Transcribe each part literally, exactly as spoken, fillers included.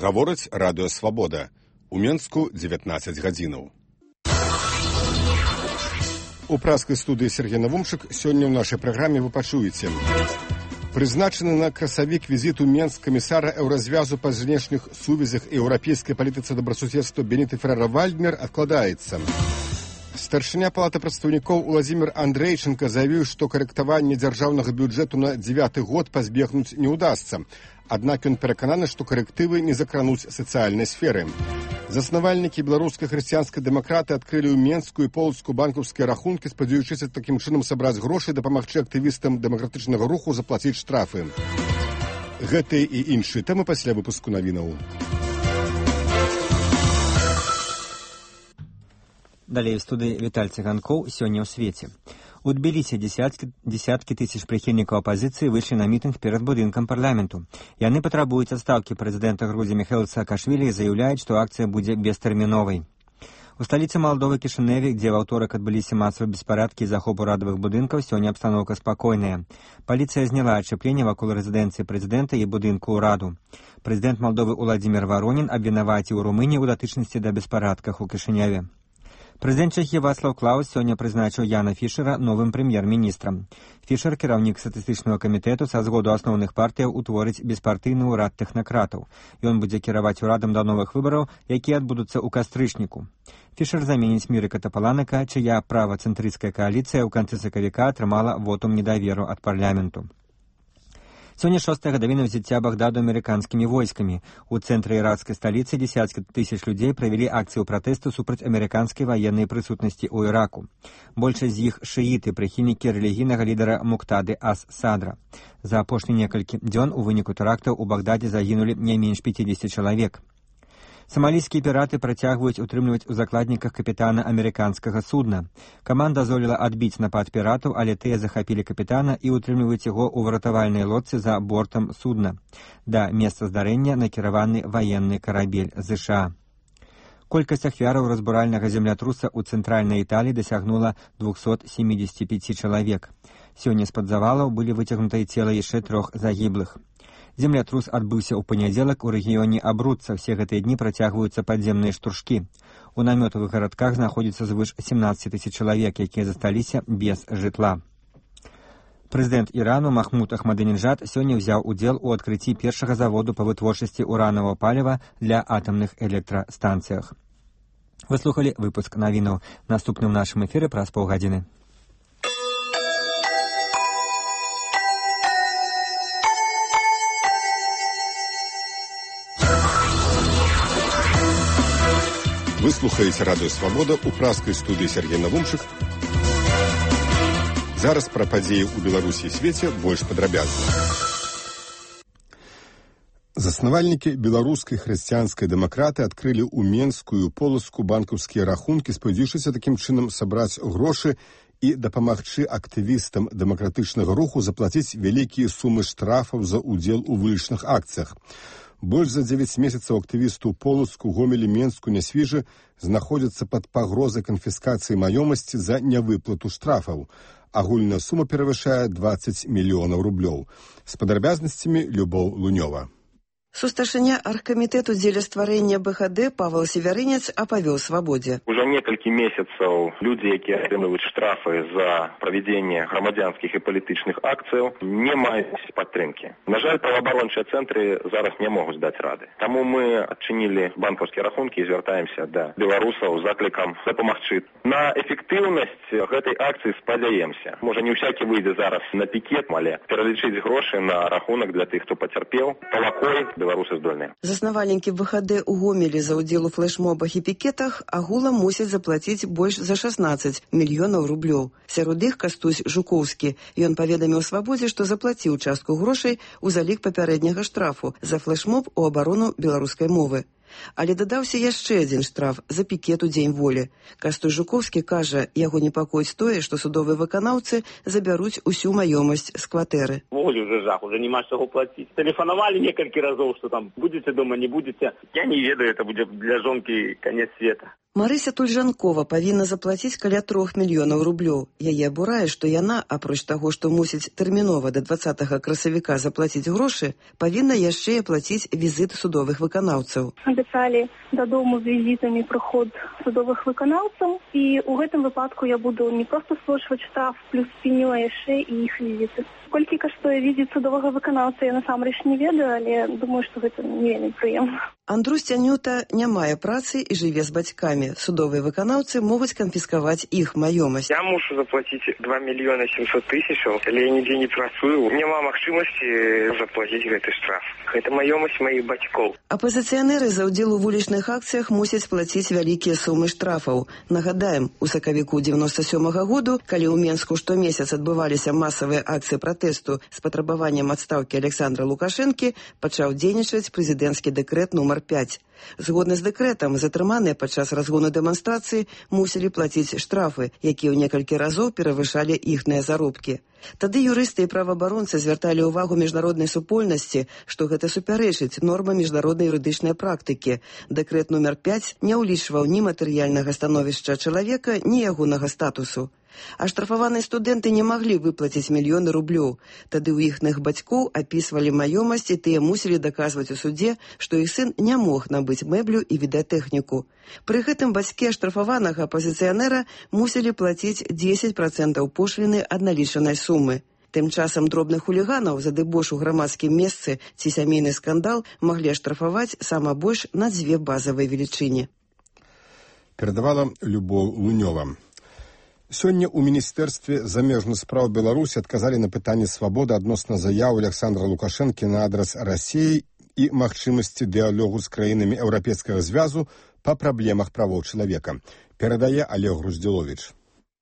Гаворыць радыё «Свабода». У Менску дзевятнаццаць гадзінаў. У праскай студыі Сергей Навумчык сёння ў нашай праграме вы пачуеце. Прызначаны на красавік візіту Менск камісара еўразвязу па знешніх сувязях і еўрапейскай палітыцы добрасуседства Беніты Феррера-Вальдмер адкладаецца. Старшыня палаты прадстаўнікоў Уладзімір Андрэйчынка заявіў, што карэктаванне дзяржаўнага бюджэту на дзевяты год пазбегнуць не ўдасца. Аднак ён перакананы, што карэктывы не закрануць сацыяльнай сферы. Заснавальнікі беларускай хрысціянскай дэмакраты адкрылі ў Менску і Полацку банкаўскія рахункі, спадзяючыся такім чынам сабраць грошы і дапамагчы актывістам дэмакратычнага руху заплаціць штрафы. Гэтыя і іншыя тэмы пасля выпуску навінаў. Далей в студыі Віталь Цыганкоў сёння ў свеце. У Тбілісі дзесяткі, дзесяткі тысяч прыхільнікаў апазіцыі выйшлі на мітынг перад будынкам парламенту. Яны патрабуюць адстаўкі прэзідэнта Грузіі Міхаіла Саакашвілі і заяўляюць, што акцыя будзе бестэрміновай. У сталіцы Малдовы Кішыневе, дзе ў аўторак адбыліся масавыя беспарадкі і захоп урадавых будынкаў, сёння абстаноўка спакойная. Паліцыя зняла ачапленне вакол рэзідэнцыі прэзідэнта і будынку ўраду. Прэзідэнт Малдовы Уладзімір Варонін абвінаваціў Румынію ў датычнасці да беспарадках у Кішыневе. Прэзідэнт Чэхіі Вацлаў Клаус сёння прызначыў Яна Фішера новым прэм'ер-міністрам. Фішер, кіраўнік статыстычнага камітэту, са згоду асноўных партыяў утворыць беспартыйны ўрад тэхнакратаў. Ён будзе кіраваць урадам да новых выбараў, якія адбудуцца ў кастрычніку. Фішер заменіць Мірыка Тапаланака, чыя правацэнтрысцкая кааліцыя ў канцы сакавіка атрымала вотум недаверу ад парламенту. Сёння шостая гадавіна ўзяцця Багдаду амерыканскімі войскамі. У цэнтры іракскай сталіцы дзесяткі тысяч людзей правялі акцыю пратэсту супраць амерыканскай ваеннай прысутнасці ў Іраку. Большасць з іх шыіты, прыхільнікі рэлігійнага лідара Муктады ас-Садра. За апошні некалькі дзён у выніку тэрактаў у Багдадзе загінулі не менш пяцідзесяці чалавек. Самалійскія піраты працягваюць утрымліваць у закладніках капітана амерыканскага судна. Каманда здолела адбіць напад піратаў, але тыя захапілі капітана і утрымліваюць яго ў выратавальнай лодцы за бортам судна. Да месца здарэння накіраваны ваенны карабель ЗША. Колькасць ахвяраў разбуральнага землятруса ў цэнтральнай Італіі дасягнула двухсот семидесяти пяти чалавек. Сёння з-пад завалаў былі выцягнутыя цела яшчэ трох загіблых. Землятрус адбыўся ў панядзелак у рэгіёне Абруцца. Все гэтыя дні працягваюцца падземныя штуршкі. У намётавых гарадках знаходзіцца звыш семнаццаць тысяч чалавек, якія засталіся без жытла. Прэзідэнт Ірану Махмуд Ахмадынеджад сёння ўзяў удзел у адкрыцці першага заводу па вытворчасці уранавага паліва для атамных электрастанцыях. Вы слухалі выпуск навінаў. Наступны ў нашым эфіры праз паўгадзіны. Вы слухаеце радыё «Свабода» у праскай студыі Сергей Навумчык. Зараз пра падзеі ў Беларусі і свеце больш падрабязна. Заснавальнікі беларускай хрысціянскай дэмакраты адкрылі ў Менску і Полацку банкаўскія рахункі, спадзяючыся такім чынам сабраць грошы і дапамагчы актывістам дэмакратычнага руху заплаціць вялікія сумы штрафаў за ўдзел у вулічных акцыях. Больш за дзевяць месяцаў актывісту ў Полацку, Гомелі, Менску, Нясвіжы знаходзяцца пад пагрозай канфіскацыі маёмасці за нявыплату штрафаў. Агульная сума перавышае дваццаць мільёнаў рублёў. З падрабязнасцямі Любоў Лунёва. Сусташыня аргкамітэту дзеля стварэння БХД Павел Севярынец апавёў «Свабодзе». Уже некалькі месяцаў людзі, якія атрымліваюць штрафы за правядзенне грамадзянскіх і палітычных акцыяў, не маюць падтрымкі. На жаль, праваабарончыя цэнтры зараз не могуць даць рады. Таму мы адчынілі банкаўскія рахункі і звяртаемся да беларусаў з заклікам дапамагчы. На эфектыўнасць гэтай акцыі спадзяемся. Можа, не ўсякі выйдзе зараз на пікет, але пералічыць грошы на рахунак для тых, хто пацярпеў, палакой беларусы здольныя. Заснавальнікі БХД ў Гомелі за ўдзел у флэшмобах і пікетах агулам мусяць заплаціць больш за шаснаццаць мільёнаў рублёў. Сярод іх Кастусь Жукоўскі. Ён паведаміў «Свабодзе», што заплаціў частку грошай у залік папярэдняга штрафу за флэшмоб у абарону беларускай мовы. Але дадаўся яшчэ адзін штраф за пікет у дзень волі. Кастусь Жукоўскі кажа, яго непакоіць тое, што судовыя выканаўцы забяруць усю маёмасць з кватэры. Волі уже жах, уже нема чаго плаціць. Тэлефанавалі некалькі разоў, што там будзеце дома, не будзеце. Я не ведаю, это будзе для жонкі канец света. Марыся Тульжанкова павінна заплаціць каля трох мільёнаў рублёў. Яе абурае, што яна, апроч таго, што мусіць тэрмінова да дваццатага красавіка заплаціць грошы, павінна яшчэ і аплаціць візіт судовых выканаўцаў. Абяцалі дадому з візітамі прыход судовых выканаўцаў, і ў гэтым выпадку я буду не проста сплочваць штраф, плюс пеню, а яшчэ і іх візіты. Колькі каштуе візіт судовага выканаўца, я насамрэч не ведаю, але думаю, што гэта не вельмі прыемна. Андрусь Цянюта не мае працы і жыве з бацькамі. Судовыя выканаўцы могуць канфіскаваць іх маёмасць. Я мушу заплаціць два мільёны сямсот тысячаў, але я нідзе не працую. Няма магчымасці заплаціць гэты штраф. Гэта маёмасць маіх бацькоў. Апазіцыянеры за ўдзел у вулічных акцыях мусяць плаціць вялікія сумы штрафаў. Нагадаем, у сакавіку дзевяноста сёмага году, калі ў Менску штомесяц адбываліся масавыя акцыі пратэсту з патрабаваннем адстаўкі Александра Лукашэнкі, пачаў дзейнічаць прэзідэнцкі дэкрэт нумар пяць. Згодна з дэкрэтам, затрыманыя падчас разгону дэманстрацыі мусілі плаціць штрафы, якія ў некалькі разоў перавышалі іхныя заробкі. Тады юрысты і праваабаронцы звярталі ўвагу міжнароднай супольнасці, што гэта супярэчыць нормам міжнароднай юрыдычнай практыкі. Дэкрэт нумар пяць не ўлічваў ні матэрыяльнага становішча чалавека, ні ягонага статусу. Аштрафаваныя студэнты не маглі выплаціць мільёны рублёў. Тады ў іхных бацькоў апісвалі маёмасць, і тыя мусілі даказваць у судзе, што іх сын не мог набыць мэблю і відэатэхніку. Пры гэтым бацькі аштрафаванага апазіцыянера мусілі плаціць дзесяць працэнтаў пошліны ад налічанай сумы. Тым часам дробных хуліганаў за дэбош у грамадскім месцы ці сямейны скандал маглі аштрафаваць сама больш на дзве базавыя велічыні. Перадавала Любоў Лунёва. Сёння ў Міністэрстве замежных спраў Беларусі адказалі на пытанне свабоды адносна заяў Александра Лукашэнкі на адрас Расіі і магчымасці дыялогу з краінамі Еўрапейскага звязу па праблемах правоў чалавека. Перадае Олег Груздзіловіч.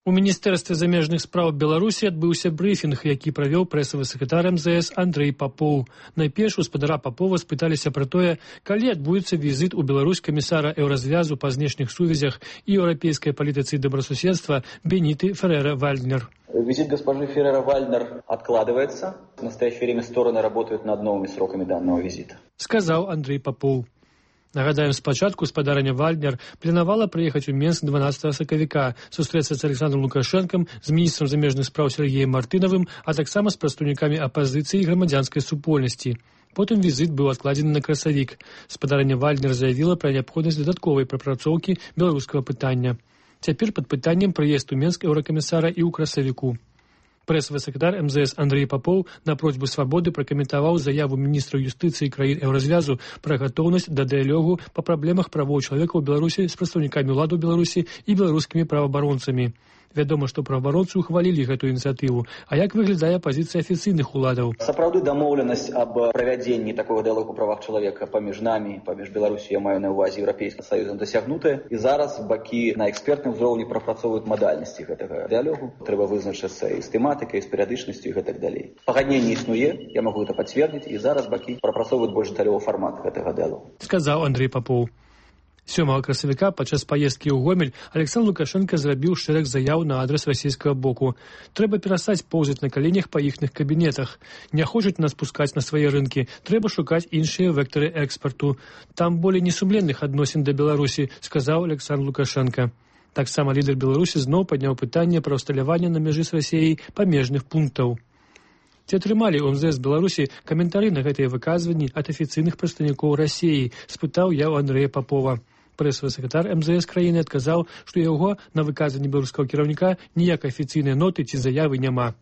У Міністэрстве замежных спраў Беларусі адбыўся брыфінг, які правёў прэсавы сакратар эм зэ эс Андрэй Папоў. Найперш у спадара Папова спыталіся пра тое, калі адбудзецца візіт у Беларусь камісара Еўразвязу па знешніх сувязях і еўрапейскай палітыцы добросуседства Бениты Феррера-Вальднер. Визит госпожи Феррера-Вальднер откладывается. В настоящее время стороны работают над новыми сроками данного визита. Сказаў Андрэй Папоў. Нагадаем, спачатку спадарня Вальднер планавала прыехаць у Менск дванаццатага сакавіка, сустрэцца з Александром Лукашэнкам, з міністрам замежных спраў Сергеем Мартынавым, а таксама з прадстаўнікамі апазіцыі і грамадзянскай супольнасці. Потым візіт быў адкладзены на красавік. Спадарня Вальднер заявіла пра неабходнасць дадатковай прапрацоўкі беларускага пытання. Цяпер пад пытаннем прыезд у Менск еўракамісара і ў красавіку. Прэсавы сакратар эм зэ эс Андрэй Папоў на просьбу свабоды пракаментаваў заяву міністра юстыцыі краін Еўразвязу пра гатоўнасць да дыялогу па праблемах правоў чалавека ў Беларусі з прадстаўнікамі ўладаў Беларусі і беларускімі праваабаронцамі. Вядома, што праваабаронцы ухвалілі гэтую ініцыятыву. А як выглядае пазіцыя афіцыйных уладаў? Сапраўды дамоўленасць аб правядзенні такога дыялогу па правах чалавека паміж намі, паміж Беларусі, я маю на ўвазе Еўрапейскім Саюзам, дасягнутая. І зараз бакі на экспертным узроўні прапрацоўваюць мадальнасці гэтага дыялогу. Трэба вызначыцца і з тэматыкай, і з перыядычнасцю і гэтак далей. Пагадненне існуе, я магу гэта пацвердзіць, і зараз бакі прапрацоўваюць больш дэталёвы фармат гэтага дыялогу. Сказаў Андрэй Папоў. сёмага красавіка падчас паездкі ў Гомель Александр Лукашенко зрабіў шэраг заяў на адрас расійскага боку. Трэба перастаць поўзаць на каленях па іхных кабінетах. Не хочуць нас пускаць на свае рынкі. Трэба шукаць іншыя вектары экспарту. Там болей несумленных адносін да Беларусі, сказаў Александр Лукашенко. Таксама лідар Беларусі зноў падняў пытанне пра ўсталяванне на мяжы з Расіяй памежных пунктаў. Ці атрымалі ў эм зэ эс Беларусі каментары на гэтыя выказванні ад афіцыйных прадстаўнікоў Расіі, спытаў я ў Андрэя Папова. Прэсавы сакратар эм зэ эс краіны адказаў, што яго на выказванні беларускага кіраўніка ніякай афіцыйнай ноты ці заявы няма.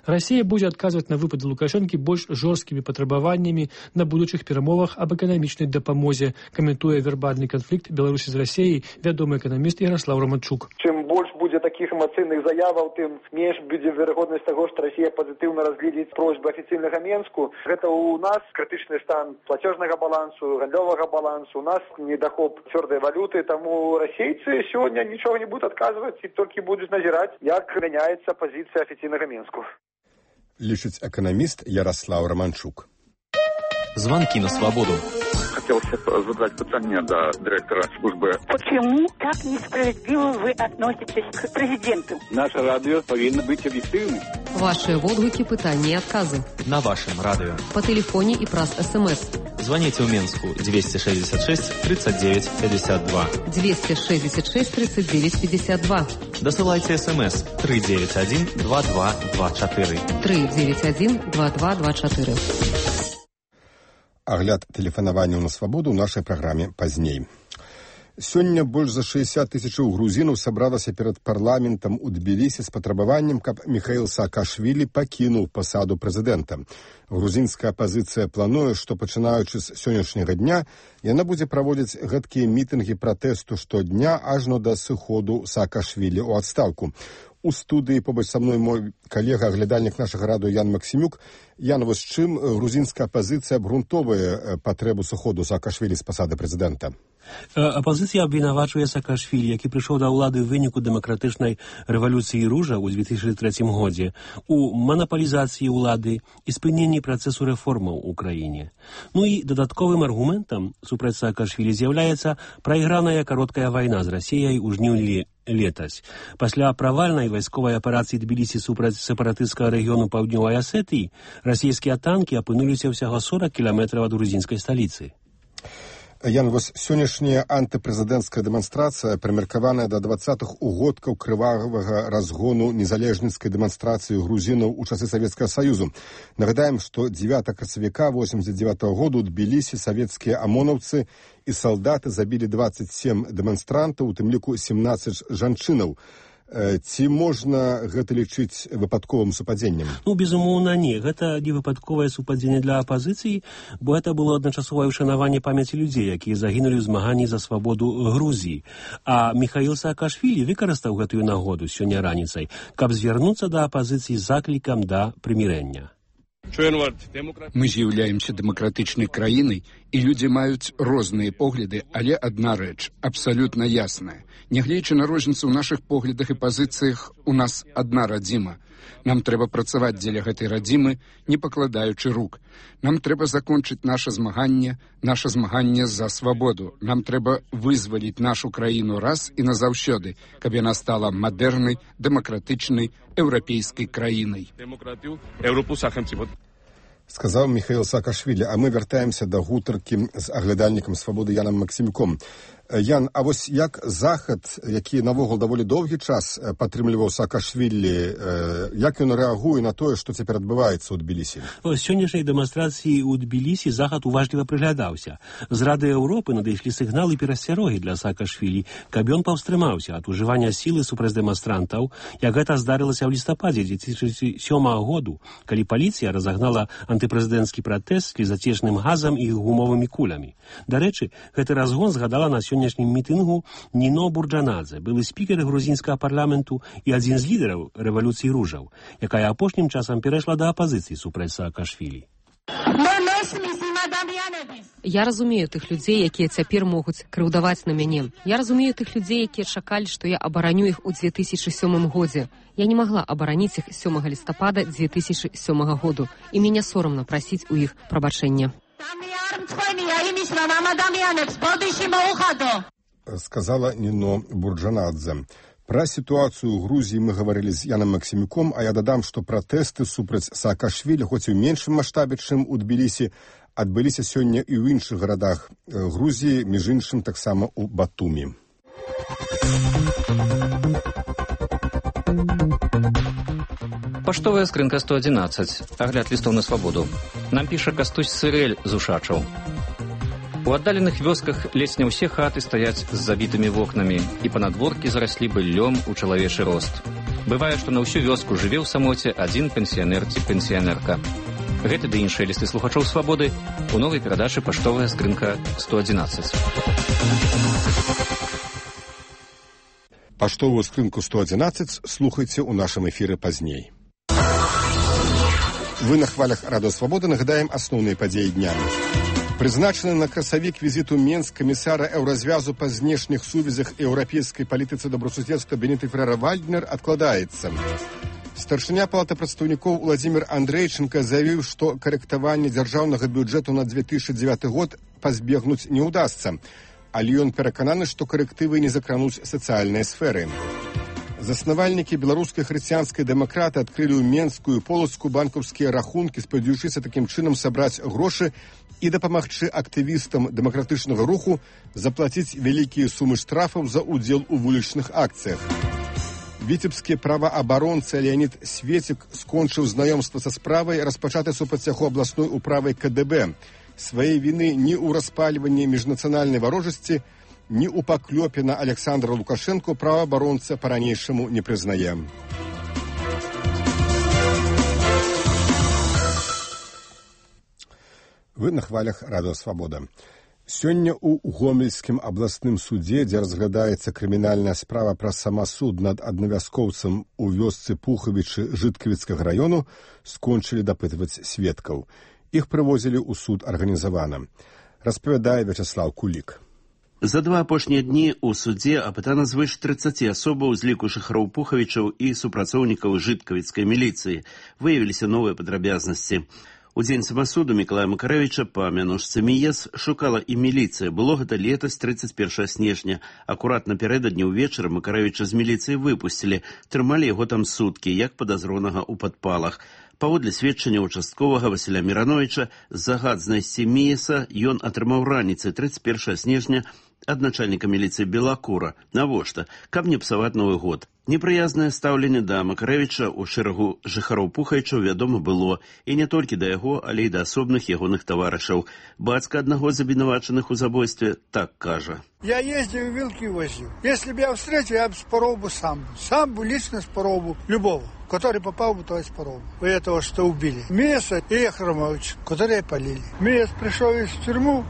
Расія будзе адказваць на выпады Лукашэнкі больш жорсткімі патрабаваннямі на будучых перамовах аб эканамічнай дапамозе, каментуе вербальны канфлікт Беларусі з Расіяй вядомы эканаміст Ярослаў Романчук. Чым больш будзе такіх эмацыйных заяваў, тым менш будзе верагоднасць таго, што Расія пазітыўна разгледзіць просьбы афіцыйнага Менску. Гэта ў нас крытычны стан плацежнага балансу, гандлёвага балансу, у нас недахоп цвёрдай валюты, таму расейцы сёння нічога не будуць адказваць і толькі будуць назіраць, як мяняецца пазіцыя афіцыйнага Менску. Лічыць эканаміст Ярослав Романчук. Звонки на свободу. Хотелось задать питание до директора службы. Почему так несправедливо вы относитесь к президенту? Наше радио повинно быть объективным. Ваши водгуки, пытания и отказы. На вашем радио. По телефоне и праз СМС. Звоните в Минску двести шестьдесят шесть тридцать девять пятьдесят два. двести шестьдесят шесть тридцать девять пятьдесят два. Досылайте СМС три девять один два два два четыре. три девять один два два два четыре. Агляд тэлефанавання на свабоду ў нашай праграме пазней. Сёння больш за шэсцьдзясят тысячаў грузінаў сабралася перад парламентам у Тбілісі з патрабаваннем, каб Міхаіл Саакашвілі пакінуў пасаду прэзідэнта. Грузінская апазіцыя плануе, што пачынаючы з сённяшняга дня яна будзе праводзіць гэткія мітынгі пратэсту штодня ажно да сыходу Саакашвілі ў адстаўку. У студыі побач са мной мой калега, аглядальнік нашага радыё Ян Максімюк. Ян, вось чым грузінская апазіцыя абгрунтоўвае патрэбу сыходу Саакашвілі з пасады прэзідэнта? Апозіцыя абвінавачвае Саакашвілі, які прыйшоў да ўлады ў выніку дэмакратычнай рэвалюцыі ружа ў две тысячы трэцім годзе, у манапалізацыі ўлады і спыненні працэсу рэформаў у краіне. Ну і дадатковым аргументам супраць Саакашвілі з'яўляецца прайграная кароткая вайна з Расіяй у жніўні летась. Пасля правальнай вайсковай аперацыі Тбілісі супраць сепаратысцкага рэгіёну паўднёвай Асетыі расійскія танкі апынуліся ўсяго сорок кіламетраў ад грузінскай сталіцы. Ян, вось сённяшняя антыпрэзідэнцкая дэманстрацыя, прымеркаваная да дваццатых угодкаў крывавага разгону незалежніцкай дэманстрацыі грузінаў у часы Савецкага Саюзу. Нагадаем, што дзевятага красавіка восемьдесят девятого году ў Тбілісі савецкія амонаўцы і салдаты забілі двадцать семь дэманстрантаў, у тым ліку семнадцать жанчынаў. Ці можна гэта лічыць выпадковым супадзеннем? Ну, безумоўна, не. Гэта не выпадковае супадзенне для апазіцыі, бо гэта было адначасовае ўшанаванне памяці людзей, якія загінулі ў змаганні за свабоду Грузіі. А Міхаіл Саакашвілі выкарыстаў гэтую нагоду сёння раніцай, каб звярнуцца да апазіцыі з заклікам да прымірэння. Мы з'яўляемся дэмакратычнай краінай, і людзі маюць розныя погляды, але адна рэч абсалютна ясная. Нягледзячы на розніцу ў нашых поглядах і пазіцыях, у нас адна радзіма. Нам трэба працаваць дзеля гэтай радзімы, не пакладаючы рук. Нам трэба закончыць наша змаганне, наша змаганне за свабоду. Нам трэба вызваліць нашу краіну раз і назаўсёды, каб яна стала мадэрнай, дэмакратычнай, еўрапейскай краінай. Сказаў Міхаіл Саакашвілі, а мы вяртаемся да гутаркі з аглядальнікам свабоды Янам Максімюком. Ян, а вось як Захад, які навогул даволі доўгі час падтрымліваў Саакашвілі, як ён рэагуе на тое, што цяпер адбываецца ў Тбілісі? З сённяшняй дэманстрацыі ў Тбілісі Захад уважліва прыглядаўся. З Рады Еўропы надышлі сігналы перасцярогі для Саакашвілі, каб ён паўстрымаўся ад ужывання сілы супраць дэманстрантаў, як гэта здарылася ў лістападзе две тысячи сёмага году, калі паліцыя разагнала антыпрэзідэнцкі пратэст з слізацечным газам і гумовымі кулямі. Дарэчы, гэты разгон згадала на сённяшнім мітынгу Ніно Бурджанадзе, былы спікер грузінскага парламенту і адзін з лідараў рэвалюцыі ружаў, якая апошнім часам перайшла да апазіцыі супраць Саакашвілі. Я разумею тых людзей, якія цяпер могуць крыўдаваць на мяне. Я разумею тых людзей, якія чакалі, што я абараню іх у две тысячи сёмым годзе. Я не магла абараніць іх сёмага лістапада две тысячи сёмага году, і мяне сорамна прасіць у іх прабачэння. Сказала Ніно Бурджанадзе. Пра сітуацыю ў Грузіі мы гаварылі з Янам Максімюком, а я дадам, што пратэсты супраць Саакашвілі, хоць і ў меншым маштабе, чым у Тбілісі, адбыліся сёння і ў іншых гарадах Грузіі, між іншым таксама ў Батумі. Паштовая скрынка сто одиннадцать. Агляд лістоў на свабоду. Нам піша Кастусь Сырэль з Ушачаў. У аддаленых вёсках ледзь не ўсе хаты стаяць з забітымі вокнамі, і панадворкі зараслі быллём у чалавечы рост. Бывае, што на ўсю вёску жыве ў самоце адзін пенсіянер ці пенсіянерка. Гэты ды іншыя лісты слухачоў свабоды у новай перадачы «Паштовая скрынка сто одиннадцать». Паштовую скрынку сто одиннадцать слухайце ў нашым эфіры пазней. Вы на хвалях Радыё Свабода нагадаем асноўныя падзеі дня. Прызначаны на красавік візіту Менск камісара еўразвязу па знешніх сувязях і еўрапейскай палітыцы добрасуседства Бенедыкт Феррера-Вальднер адкладаецца. Старшыня палаты прадстаўнікоў Уладзімір Андрэйчынка заявіў, што карэктаванне дзяржаўнага бюджэту на две тысячи девятый год пазбегнуць не ўдасца, але ён перакананы, што карэктывы не закрануць сацыяльныя сферы. Заснавальнікі беларускай хрысціянскай дэмакраты адкрылі ў Менску і Полацку банкаўскія рахункі, спадзяючыся такім чынам сабраць грошы і дапамагчы актывістам дэмакратычнага руху заплаціць вялікія сумы штрафаў за ўдзел у вулічных акцыях. Віцебскі праваабаронца Леонід Светік скончыў знаёмства са справай, распачатай супраць яго абласной управай ка дэ бэ. Сваей віны ні ў распальванні міжнацыянальнай варожасці, ні ў паклёпе на Александра Лукашэнку праваабаронца па-ранейшаму не прызнае. Вы на хвалях Радыё Свабода. Сёння ў Гомельскім абласным судзе, дзе разглядаецца крымінальная справа пра самасуд над аднавяскоўцам у вёсцы Пухавічы Жыткавіцкага раёну, скончылі дапытваць сведкаў. Іх прывозілі ў суд арганізавана. Распавядае Вячаслаў Кулік. За два апошнія дні ў судзе апытана звыш трыццаці асобаў з ліку жыхароў Пухавічаў і супрацоўнікаў жыткавіцкай міліцыі. Выявіліся новыя падрабязнасці. У дзень самасуду Мікалая Макарэвіча па мянушцы Міес шукала і міліцыя. Было гэта летась трыццаць першага снежня. Акурат напярэдадні ўвечары Макарэвіча з міліцыі выпусцілі. Трымалі яго там суткі, як падазронага ў падпалах. Паводле сведчання участковага Васіля Мірановіча, загад знайсці Міеса ён атрымаў раніцай трыццаць першага снежня ад начальніка міліцыі Белакура. Навошта? Каб не псаваць Новы год. Непрыязнае стаўленне да Макарэвіча ў шэрагу жыхароў Пухавічаў вядома было, і не толькі да яго, але і да асобных ягоных таварышаў. Бацька аднаго з абвінавачаных у забойстве так кажа. Я ездил, вилки возил. Если бы я встретил, я бы спорол бы сам. Сам бы лично спорол бы любого, который попал бы, то и спорол бы. У этого, что убили. Миеса и Ахрамовича, которые полили. Миес пришел из тюрьму,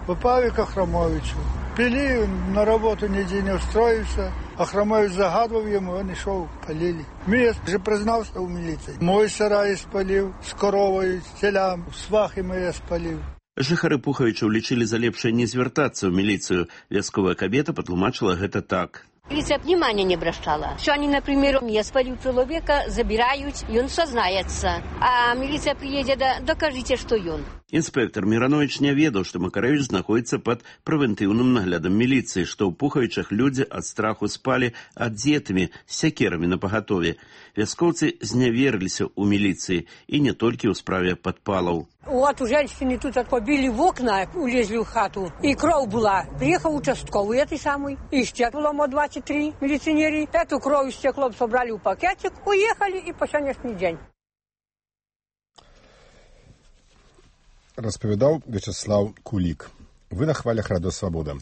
попал к Ахрамовичу. Пили, на работу нигде не устроился. Ахрамович загадывал ему, он и шел, полили. Миес же признался в милиции. Мой сарай спалил, с коровой, с телям, свахи мои спалил. Жыхары Пухавічаў лічылі за лепшае не звяртацца ў міліцыю. Вясковая кабета патлумачыла гэта так. Милиция внимания не обращала. Что они, например, я спалю человека, забирают, и он сознается. А милиция приедет, да, докажите, что он. Інспектор Міранович не ведаў, што Макарэвіч знаходзіцца пад прэвентыўным наглядам міліцыі, што ў Пухавічах людзі ад страху спалі адзетымі, з сякерамі напагатове. Вяскоўцы зняверыліся ў міліцыі, і не толькі ў справе падпалаў. Вот у женщины тут побили в окна, улезли в хату, и кровь была. Приехал участковый, этой самый, и стекло мо двадцать три милиционеры. Эту кровь стеклом собрали в пакетик, уехали и по сегодняшний день. Распавядаў Вячаслаў Кулік. Вы на хвалях Радыё Свабода.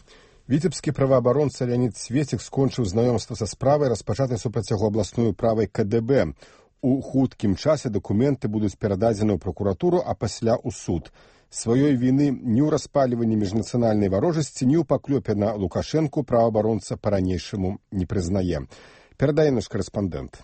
Віцебскі праваабаронца Леонід Светік скончыў знаёмства са справай, распачатай супраць яго абласной управай ка дэ бэ. У хуткім часе дакументы будуць перададзены ў пракуратуру, а пасля ў суд. Сваёй віны ні ў распальванні міжнацыянальнай варожасці, ні ў паклёпе на Лукашэнку праваабаронца па-ранейшаму не прызнае. Перадае наш корэспандэнт.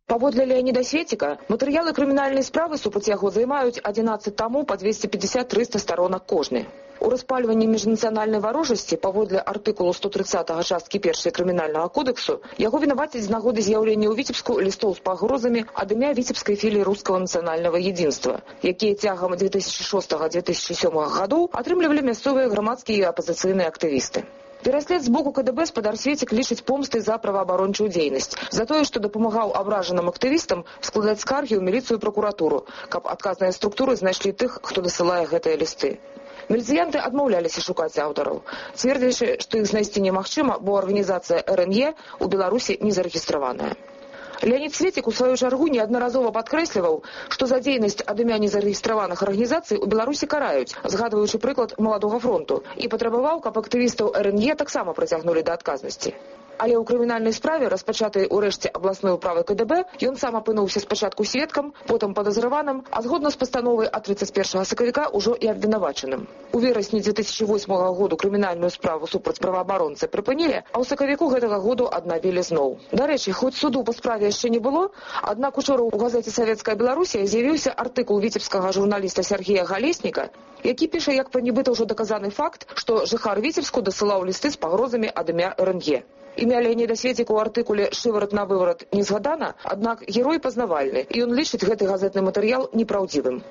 Паводле Леоніда Светіка, матэрыялы крымінальнай справы супраць яго займаюць адзінаццаць тамоў па двесце пятьдесят - триста старонак кожны. У распальванні міжнацыянальнай варожасці паводле артыкулу сто тридцатага часткі першай крымінальнага кодексу яго вінавацяць з нагоды з'яўлення ў Віцебску лістоў з пагрозамі ад імя віцебскай філіі рускага нацыянальнага единства, якія цягам две тысячи шостага - две тысячи сёмага гадоў атрымлівалі мясцовыя грамадскія і апазіцыйныя актывісты. Пераслед з боку ка дэ бэ спадар Светік лічыць помстай за праваабарончую дзейнасць, за тое, што дапамагаў абражаным актывістам складаць скаргі ў міліцыю і пракуратуру, каб адказныя структуры знайшлі тых, хто дасылае гэтыя лісты. Міліцыянты адмаўляліся шукаць аўтараў, цвердзячы, што іх знайсці немагчыма, бо арганізацыя эр эн е ў Беларусі не зарэгістраваная. Леонід Светік у сваю чаргу неаднаразова падкрэсліваў, што за дзейнасць ад імя незарэгістраваных арганізацый у Беларусі караюць, згадваючы прыклад маладога фронту, і патрабаваў, каб актывістаў эр эн е таксама прыцягнулі да адказнасці. Але ў крымінальнай справе, распачатай урэшце абласной управы ка дэ бэ, ён сам апынуўся спачатку сведкам, потым падазраваным, а згодна з пастановай ад трыццаць першага сакавіка ўжо і абвінавачаным. У верасні две тысячи восьмага году крымінальную справу супраць праваабаронцы прыпынілі, а ў сакавіку гэтага году аднавілі зноў. Дарэчы, хоць суду па справе яшчэ не было, аднак учора ў газеце «Савецкая Беларусія» з'явіўся артыкул віцебскага журналіста Сергея Галесніка, які піша, як пра нібыта ўжо даказаны факт, што жыхар Віцебску дасылаў лісты з пагрозамі ад імя эр эн е. Імя Леаніда Светіка ў артыкуле «Шыварат на выварат» не згадана, аднак герой пазнавальны, і ён лічыць гэты газетны матэрыял непраўдзівым.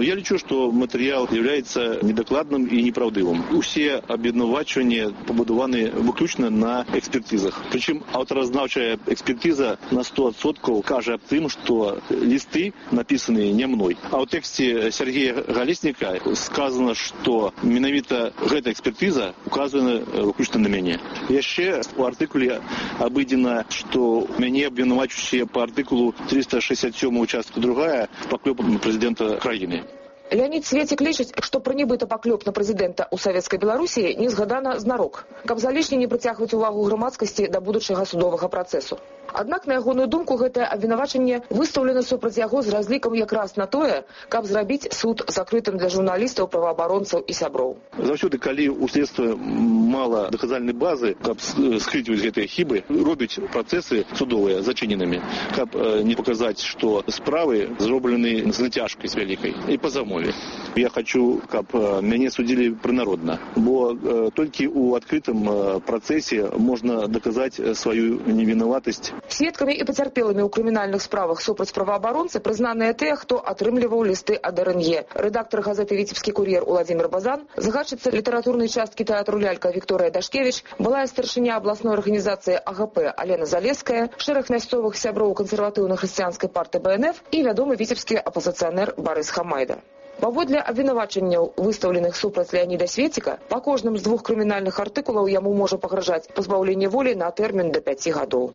Я лічу, што матэрыял з'яўляецца недакладным і непраўдывым. Усе абвінавачванні пабудаваны выключна на экспертызах. Прычым аўтаразнаўчая экспертыза на сто адсоткаў кажа аб тым, што лісты напісаныя не мной. А ў тэксце Сергея Галесніка сказано, што менавіта гэта экспертыза указана выключна на мяне. Яшчэ у артыкуле абыдзена, што мяне абвінавачваюць па артыкулу триста шестьдесят семь участку другая паклёп на прэзідэнта краіны. Леанід Светік лічыць, што пра нібыта паклёп на прэзідэнта ў Савецкай Беларусі не згадана знарок, каб залішне не прыцягваць увагу грамадскасці да будучага судовага працэсу. Аднак, на ягоную думку, гэтае абвінавачанне выстаўлена супраць яго з разлікам якраз на тое, каб зрабіць суд закрытым для журналістаў, праваабаронцаў і сяброў. Заўсёды, калі ў следства мала даказальнай базы, каб скрыць гэтыя хібы, робяць працэсы судовыя зачыненымі, каб не паказаць, што справы зроблены з нацяжкай з вялікай і па замове. Я хочу, каб мяне судзілі прынародна, бо толькі ў адкрытым працэсе можна даказаць сваю невінаватасць. Сведкамі і пацярпелымі ў крымінальных справах супраць праваабаронцы прызнаныя тыя, хто атрымліваў лісты ад эр эн е. Рэдактар газеты «Віцебскі кур'ер» Уладзімір Базан, загадчыца літаратурнай часткі тэатру «Лялька» Вікторыя Дашкевіч, былая старшыня абласной арганізацыі а гэ пэ Алена Залеская, шэраг мясцовых сяброў кансерватыўна-хрысціянскай партыі бэ эн эф і вядомы віцебскі апазіцыянер Барыс Хамайда. Паводле абвінавачанняў, выстаўленых супраць Леаніда Светіка, па кожным з двух крымінальных артыкулаў яму можа пагражаць пазбаўленне волі на тэрмін да пяці гадоў.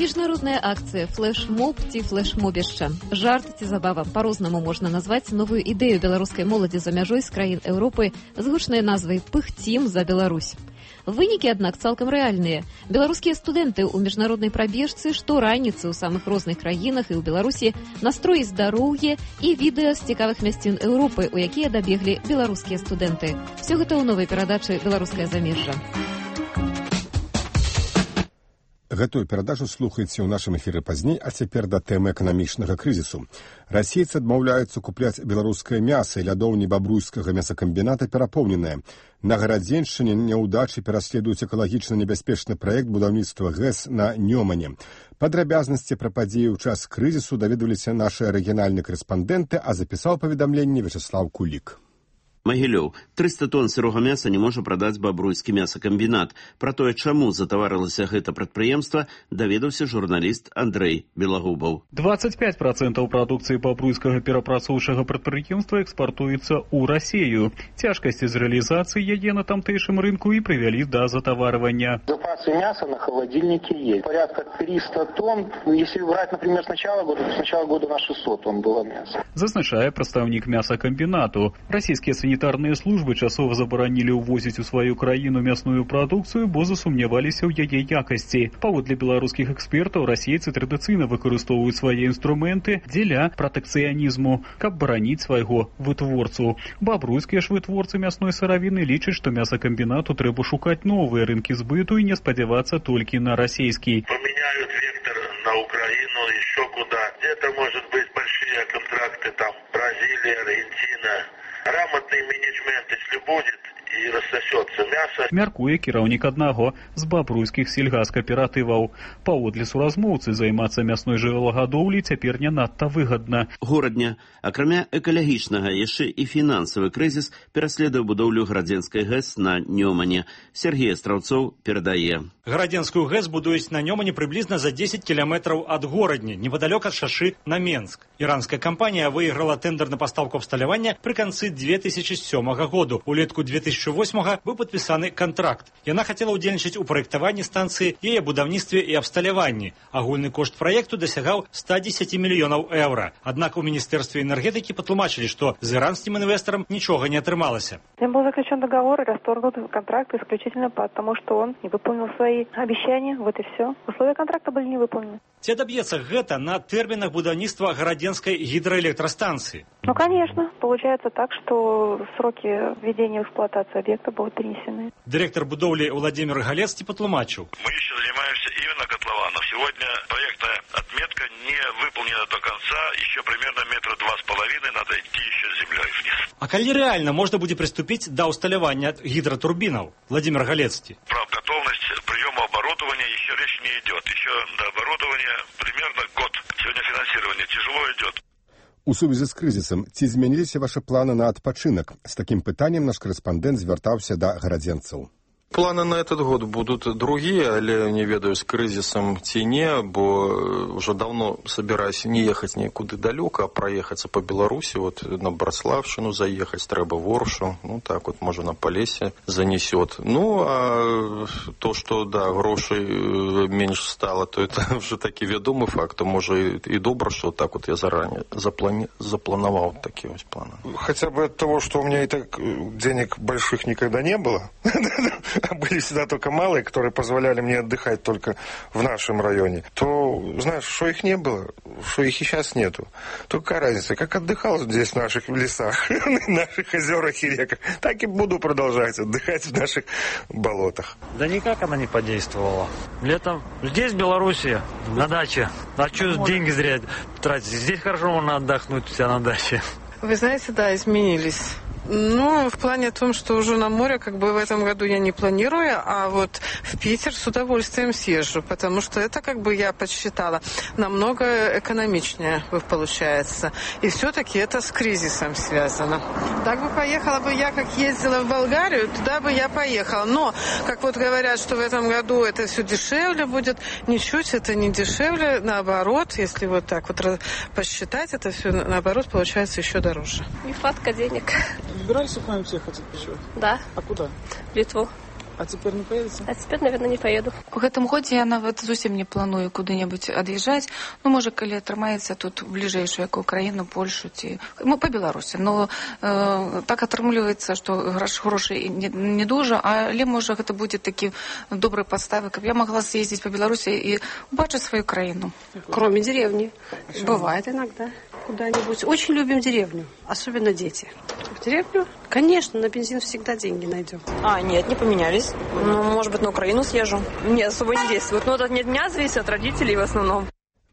Міжнародная акцыя «Флэш-моб» ці «Флэш-мобішча». Жарт ці забава. Па-рознаму можна назваць новую ідэю беларускай моладзі за мяжой з краін Еўропы з гучнай назвай «Пыхцім за Беларусь». Вынікі, аднак, цалкам рэальныя. Беларускія студэнты ў міжнароднай прабежцы штораніцы ў самых розных краінах і ў Беларусі настроіць здароўе і відэа з цікавых мясцін Еўропы, у якія дабеглі беларускія студэнты. Все гэта ў новай перадачы «Беларускае замежжа». Гэтую перадачу слухаеце ў нашым эфіры пазней, а цяпер да тэмы эканамічнага крызісу. Расейцы адмаўляюцца купляць беларускае мяса, і лядоўні бабруйскага мясакамбіната перапоўненыя. На Гарадзеншчыне няўдачы пераследуюць экалагічна небяспечны праект будаўніцтва гэс на Нёмане. Падрабязнасці пра падзеі ў час крызісу даведваліся нашы арыгінальныя карэспандэнты, а запісаў паведамленне Вячеслав Кулік. Магілёў. трыста тонн сырога мяса не можа прадаць бабруйскі мясакамбінат. Пра тое, чаму затаварылася гэта прадпрыемства, даведаўся журналіст Андрэй Белагубаў. двадцать пять процентов прадукцыі бабруйскага перапрацоўчага прадпрыемства экспартуецца ў Расею. Цяжкасці з рэалізацыі яе на тамтэйшым рынку і прывялі да затаварвання. Запасы мяса на холодильнике есть. Порядка триста тонн. Если брать, например, с начала года, то с начала года на шестьсот тонн было мяса. Зазначае прадстаўнік мясакамбінату. Расійскія санітарныя службы часова забаранілі ўвозіць у сваю краіну мясную прадукцыю, бо засумняваліся ў яе якасці. Паводле беларускіх экспертаў, расейцы традыцыйна выкарыстоўваюць свае інструменты дзеля пратэкцыянізму, каб бараніць свайго вытворцу. Бабруйскія ж вытворцы мясной сыравіны лічаць, што мясакамбінату трэба шукаць новыя рынкі збыту і не спадзявацца толькі на расійскі. Поменяют вектор на Украину, еще куда. Где-то, может быть, большие контракты, там, Бразилия, Аргентина. Грамотный менеджмент, если будет, і рассосется мясо. Мяркуе кіраўнік аднаго з бабруйскіх сельгаскааператываў. Паводле суразмоўцы, займацца мясной жывёлагадоўляй цяпер не надта выгадна. Горадня, акрамя экалагічнага, яшчэ і фінансавы крызіс пераследуе будоўлю Гарадзенскай ГЭС на Нёмане. Сергей Астраўцоў перадае. Гарадзенскую ГЭС будуюць на Нёмане прыблізна за десять кіламетраў ад горадні, непадалёк ад шашы на Менск. Іранская кампанія выйграла тендер на пастаўку абсталявання пры канцы две тысячи сёмага году. Улетку две тысячи восьмага быў падпісаны кантракт. Яна хацела ўдзельнічаць у праектаванні станцыі, яе будаўніцтве і абсталяванні. Агульны кошт праекту дасягаў ста дзесяці мільёнаў еўра. Аднак у Міністэрстве энергетыкі патлумачылі, што з іранскім інвестарам нічога не атрымалася. Им был заключен договор и расторгнут контракт исключительно потому, что он не выполнил свои обещания. Вот и все. Условия контракта были не выполнены. Ці адаб'ецца гэта на тэрмінах будаўніцтва Гарадзенскай гідраэлектрастанцыі? Ну, конечно. Получается так, что сроки введения в эксплуатацию объекта будут перенесены. Директор будовли Владимир Галецкий потлумачил. Мы еще занимаемся именно котлованом. Сегодня проектная отметка не выполнена до конца, еще примерно метра два с половиной надо идти еще с землей вниз. А калі реально можно будет приступить до усталявання гидротурбинов? Владимир Галецкий. Про готовность приема оборудования еще речь не идет. Еще до оборудования примерно год. Сегодня финансирование тяжело идет. У сувязі з крызісам, ці змяніліся ваши планы на адпачынак? З такім пытаннем наш корэспандэнт звяртаўся да гарадзенцаў. Планы на этот год будут другие, але не ведаю, с кризисом ці не, бо уже давно собираюсь не ехать никуда далеко, а проехаться по Беларуси, вот на Браславщину заехать, треба в Оршу, ну так вот, может, на Полесье занесет. Ну, а то, что, да, грошей меньше стало, то это уже таки ведомый факт, то, может, и добро, что так вот я заранее заплани... заплановал такие вот планы. Хотя бы от того, что у меня и так денег больших никогда не было, а были всегда только малые, которые позволяли мне отдыхать только в нашем районе, то, знаешь, что их не было, что их и сейчас нету. То какая разница, как отдыхал здесь в наших лесах, в наших озерах и реках, так и буду продолжать отдыхать в наших болотах. Да никак она не подействовала. Летом здесь, в Беларуси, на даче. А что деньги зря тратить? Здесь хорошо можно отдохнуть у себя на даче. Вы знаете, да, изменились. Ну, в плане том, что уже на море, как бы в этом году я не планирую, а вот в Питер с удовольствием съезжу, потому что это, как бы я подсчитала, намного экономичнее получается. И все-таки это с кризисом связано. Так бы поехала бы я, как ездила в Болгарию, туда бы я поехала. Но, как вот говорят, что в этом году это все дешевле будет, ничуть это не дешевле, наоборот, если вот так вот посчитать, это все наоборот получается еще дороже. Нехватка денег. Собирались к нам ехать отпочивать? Да. А куда? В Литву. А теперь не поедете? А теперь, наверное, не поеду. У гэтым годзе я нават зусім не планую куды-небудзь ад'язджаць. Ну, можа, калі атрымаецца тут бліжэйшую якую краіну, Польшу ці ну, па Беларусі. Но э, так атрымліваецца, што грошай не, не дужа, але можа гэта будзе такі добрай падставы, каб я могла съездить по Беларусі і убачыць свою краіну. Кроме деревни. Бывает иногда куда-нибудь. Очень любим деревню, особенно дети. В деревню? Конечно, на бензин всегда деньги найдем. А, нет, не поменялись. Ну, может быть, на Украину съезжу. Не, особо не действует. Но это не от меня зависит, от родителей в основном.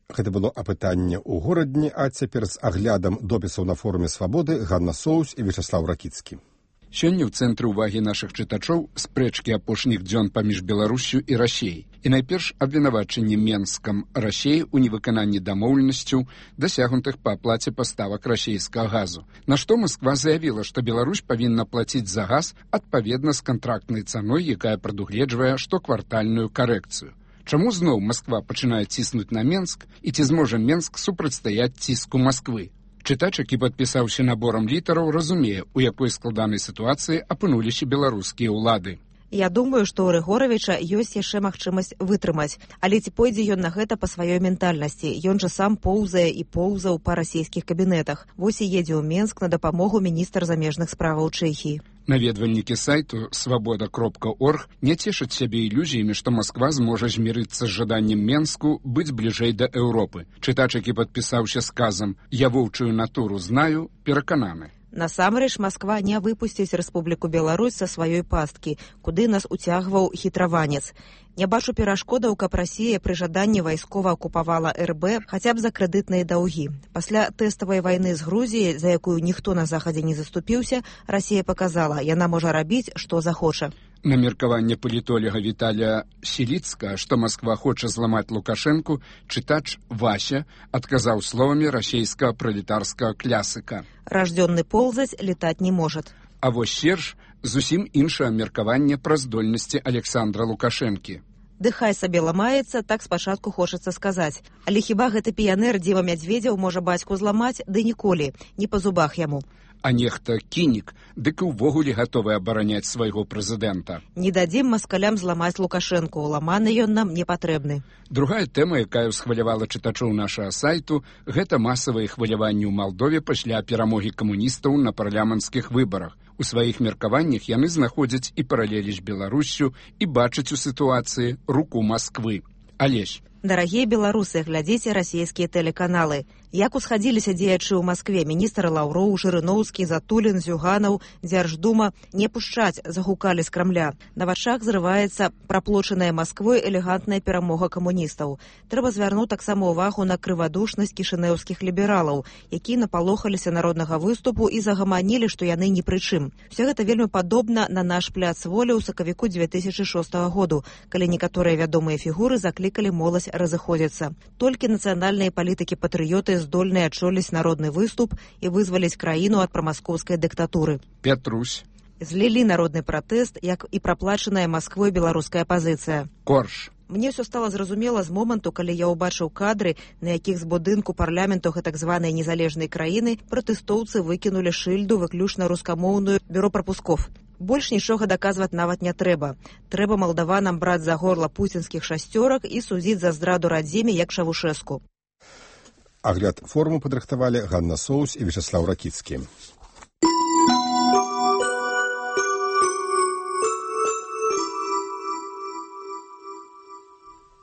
Гэта было апытанне ў горадні, а цяпер з аглядам допісаў на форуме «Свабоды» Ганна Соус і Вячеслав Ракіцкі. Сёння ў цэнтры ўвагі нашых чытачоў спрэчкі апошніх дзён паміж Беларуссю і Расіяй. І найперш абвінавачанне Менскам Расіі ў невыкананні дамоўленасцяў, дасягнутых па аплаце паставак расійскага газу. На што Масква заявіла, што Беларусь павінна плаціць за газ адпаведна з кантрактнай цаной, якая прадугледжвае штоквартальную карэкцыю. Чаму зноў Масква пачынае ціснуць на Менск, і ці зможа Менск супрацьстаяць ціску Масквы? Чытач, які падпісаўся наборам літараў, разумее, у якой складанай сітуацыі апынуліся беларускія ўлады. Я думаю, што у Рыгоравіча ёсць яшчэ магчымасць вытрымаць, але ці пойдзе ён на гэта па сваёй ментальнасці? Ён жа сам поўзае і поўзаў па расійскіх кабінетах. Вось і едзе ў Менск на дапамогу міністр замежных справаў Чэхіі. Наведвальнікі сайту свабода кропка орг не цешаць сябе ілюзіямі, што Масква зможа змірыцца з жаданнем Менску быць бліжэй да Еўропы. Чытач, які падпісаўся сказам «Я воўчую натуру знаю», перакананы. Насамрэч, Масква не выпусціць Рэспубліку Беларусь са сваёй пасткі, куды нас уцягваў хітраванец. Не бачу перашкодаў, каб Расія пры жаданні вайскова акупавала эр бэ хаця б за крэдытныя даўгі. Пасля тэставай вайны з Грузіяй, за якую ніхто на захадзе не заступіўся, Расія паказала, яна можа рабіць, што захоча. На меркаванне палітолога Віталія Селіцка, што Масква хоча зламаць Лукашэнку, чытач Вася адказаў словамі расійскага пралетарскага клясыка. Раждённы ползаць летаць не можат. А вось Серж зусім іншае меркаванне пра здольнасці Александра Лукашэнкі. Дыхай сабе ламаецца, так спачатку хочацца сказаць. Але хіба гэты піянер Дзева Мядзведзеў можа бацьку зламаць? Ды ніколі, не па зубах яму. А нехта кінік, дык і ўвогуле гатовы абараняць свайго прэзідэнта. Не дадзім маскалям зламаць Лукашэнку, ламаны ён нам не патрэбны. Другая тэма, якая ўсхвалявала чытачоў нашага сайту, гэта масавыя хваляванні ў Малдове пасля перамогі камуністаў на парламенцкіх выбарах. У сваіх меркаваннях яны знаходзяць і паралелі з Беларуссю і бачаць у сітуацыі руку Масквы. Алесь. Дарагія беларусы, глядзіце расійскія тэлеканалы. Як усхадзіліся дзеячы ў Маскве, міністр Лаўроў, Жырыноўскі, Затулін, Зюганаў, Дзярждума не пушчаць, загукалі з Крамля. На вачах зрываецца праплочаная Масквой элегантная перамога камуністаў. Трэба звярнуць таксама ўвагу на крывадушнасць кішынеўскіх лібералаў, якія напалохаліся народнага выступу і загаманілі, што яны ні пры чым. Усё гэта вельмі падобна на наш пляц волі ў сакавіку дзве тысячы шостага году, калі некаторыя вядомыя фігуры заклікалі моладзь разыходзіцца. Толькі нацыянальныя палітыкі-патрыёты здольныя адчоліць народны выступ і вызваліць краіну ад прамаскоўскай дыктатуры. Петрусь. Злілі народны пратэст, як і праплачаная Масквой беларуская пазіцыя. Корж. Мне ўсё стала зразумела з моманту, калі я ўбачыў кадры, на якіх з будынку парламенту так званай незалежнай краіны пратэстоўцы выкінулі шыльду выключна рускамоўную бюро прапусков. Больш нічога даказваць нават не трэба. Трэба малдаванам браць за горла пуцінскіх шасцёрак і судзіць за здраду радзіме, як Чавушэску. Агляд форуму падрыхтавалі Ганна Соус і Вячеслав Ракіцкі.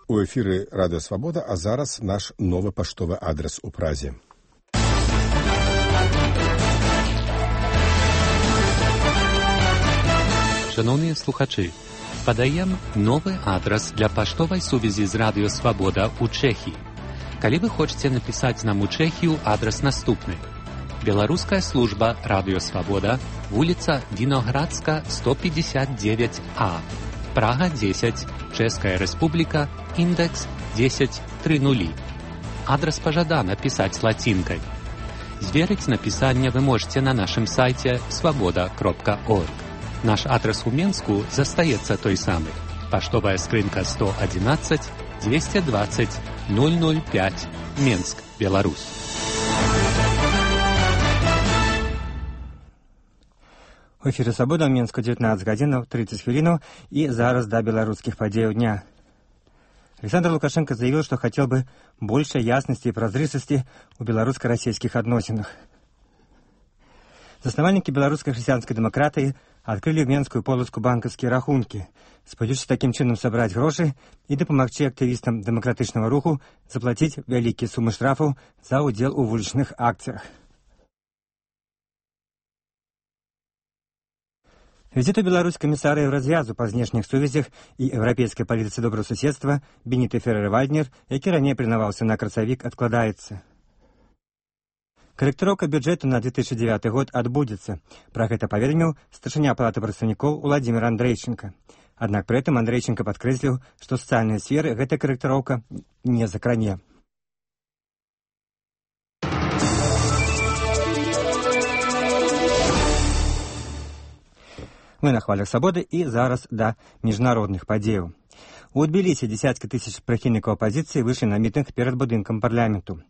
У эфіры Радыё Свабода, а зараз наш новы паштовы адрес у Празе. Шановні слухачі, падаем новы адрес для паштовай сувязі з Радыё Свабода ў Чэхіі. Калі вы хочаце напісаць нам у Чэхію, адрес наступны. Беларуская служба Радыё Свабода, вуліца Віноградска, сто пятьдесят девять А, Прага десять, Чэшская Рэспубліка, індекс десять тридцать. Адрес пажадана пісаць лацінкай. Зверыць напісанне вы можете на нашым сайце свабода кропка орг. Наш адрес у Менску застаецца той самы. Паштовая скрынка сто одиннадцать двести двадцать ноль ноль пять, Менск, Беларусь. У эфіры «Свабода» ў Менску девятнадцать гадзінаў тридцать хвілінаў і зараз да беларускіх падзеяў дня. Александр Лукашенко заявил, что хотел бы больше ясности и прозрыстости у белорусско-российских отношениях. Заснавальники белорусской христианской демократии открыли в Менскую полоску банковские рахунки, сподіваючись таким чином собрать гроши и допомогти активистам демократичного руху заплатить великие суммы штрафов за удел у вуличных акциях. Визит у Беларусь комиссара Евразвязу па знешніх сувязях і еўрапейскай палітыцы добрасуседства Беніты Феррер-Вальднер, які раней прынаваўся на красавік, адкладаецца. Корректировка бюджета на две тысячи девятый год отбудется. Про это поведомил старшыня Палаты представников Владимир Андрейченко. Однако при этом Андрейченко подкреслил, что социальные сферы эта корректировка не закране. Мы на хвалях свободы и зараз до международных падзеяў. У Тбілісі десятки тысяч прыхільнікаў апозіцыі выйшлі на мітынг перед будынкам парламенту.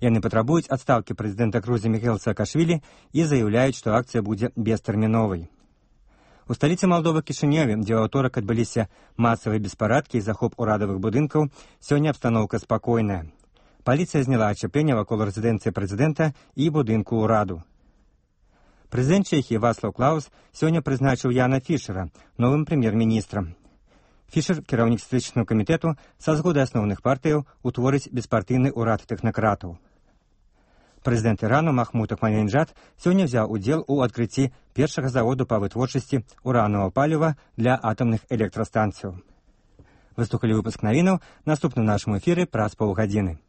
Яны патрабуюць адстаўкі прэзідэнта Грузіі Міхаіла Саакашвілі і заяўляюць, што акцыя будзе бестэрміновай. У сталіцы Малдовы Кішынёве, дзе ў аўторак адбыліся масавыя беспарадкі і захоп урадавых будынкаў, сёння абстаноўка спакойная. Паліцыя зняла ачапленне вакол рэзідэнцыі прэзідэнта і будынку ўраду. Прэзідэнт Чэхіі Вацлаў Клаус сёння прызначыў Яна Фішера новым прэм'ер-міністрам. Фішер, кіраўнік стратэгічнага камітэту, са згоды асноўных партыяў утворыць беспартыйны ўрад тэхнакратаў. Прэзідэнт Ірану Махмуд Ахмадинеджад сёння взяў удзел у адкрыцці першага заводу па вытворчасці урановага паліва для атамных электрастанцыяў. Выслухалі выпуск навінаў, наступны ў нашым эфіры праз паўгадзіны.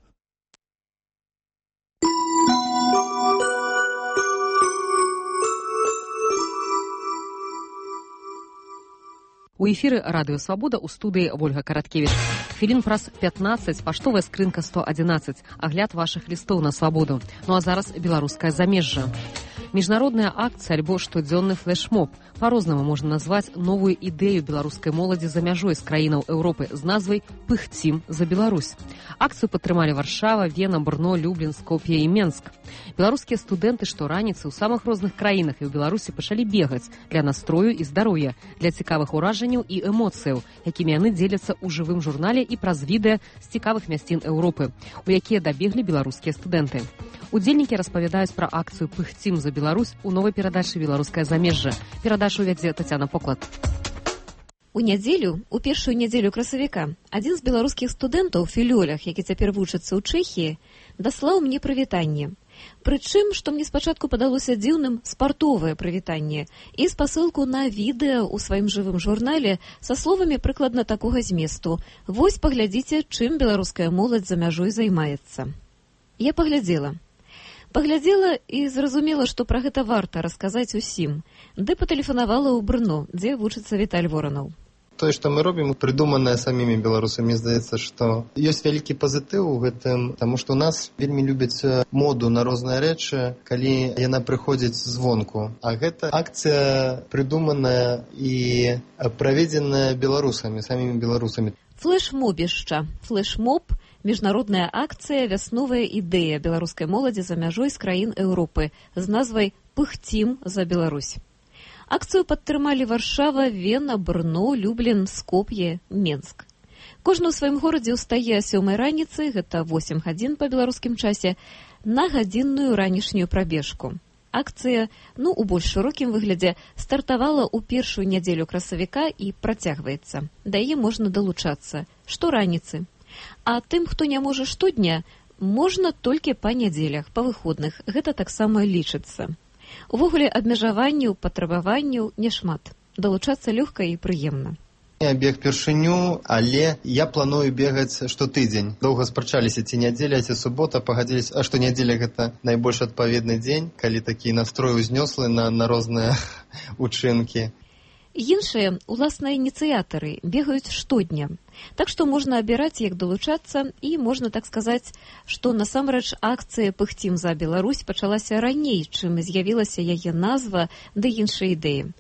У эфіры Радыё Свабода, у студыі Вольга Караткевіч. Хвілін праз пятнаццаць, паштовая скрынка сто одиннадцать, агляд вашых лістоў на свабоду. Ну а зараз беларускае замежжа. Міжнародная акцыя альбо штодзённы флешмоб. Па-рознаму можна назваць новую ідэю беларускай моладзі за мяжой з краінаў Еўропы з назвай «Пыхцім за Беларусь». Акцыю падтрымалі Варшава, Вена, Брно, Люблін, Скоп'е і Менск. Беларускія студэнты штораніцы ў самых розных краінах і ў Беларусі пачалі бегаць для настрою і здароўя, для цікавых уражанняў і эмоцыяў, якімі яны дзеляцца ў жывым журнале і праз відэа з цікавых мясцін Еўропы, у якія дабеглі беларускія студэнты. Удзельнікі распавядаюць пра акцыю «Пыхцім за Беларусь» у новай перадачы «Беларускае замежжа». Перадачу вядзе Тацяна Поклад. У нядзелю, у першую нядзелю красавіка, адзін з беларускіх студэнтаў у філёлях, які цяпер вучыцца ў Чэхіі, даслаў мне прывітанне. Прычым, што мне спачатку падалося дзіўным, спартовае прывітанне і спасылку на відэа ў сваім жывым журнале са словамі прыкладна такога зместу. Вось паглядзіце, чым беларуская моладзь за мяжой займаецца. Я паглядзела. Паглядзела і зразумела, што пра гэта варта расказаць усім. Ды патэлефанавала ў Брно, дзе вучыцца Віталь Воранаў. Тое, што мы робім, прыдуманае самімі беларусамі, здаецца, што ёсць вялікі пазітыў у гэтым, таму што ў нас вельмі любяць моду на розныя рэчы, калі яна прыходзіць звонку. А гэта акцыя прыдуманая і праведзеная беларусамі, самімі беларусамі. Флэш-мобішча. Флэш-моб – міжнародная акцыя, вясновая ідэя беларускай моладзі за мяжой з краін Еўропы з назвай «Пыхцім за Беларусь». Акцыю падтрымалі Варшава, Вена, Брно, Люблін, Скоп'е, Менск. Кожны ў сваім горадзе ўстае о сёмай раніцы, гэта восем гадзін па беларускім часе, на гадзінную ранішнюю прабежку. Акцыя, ну, у больш шырокім выглядзе, стартавала ў першую нядзелю красавіка і працягваецца. Да яе можна далучацца штораніцы. А тым, хто не можа штодня, можна толькі па нядзелях, па выходных. Гэта таксама лічыцца. Увогуле, абмежаванняў, патрабаванняў няшмат. Далучацца лёгка і прыемна. Я бег першыню, але я планую бегаць штотыдзень. Доўга спрачаліся, ці нядзеля, ці субота, пагадзіліся, а што нядзеля гэта найбольш адпаведны дзень, калі такі настрой узнёслы на, на розныя учынкі. Іншыя, уласна, ініцыятары бегаюць штодня. Так што можна абіраць, як далучацца, і можна так сказаць, што насамрэч акцыя «Пыхцім за Беларусь» пачалася раней, чым з'явілася яе назва ды іншыя ідэі.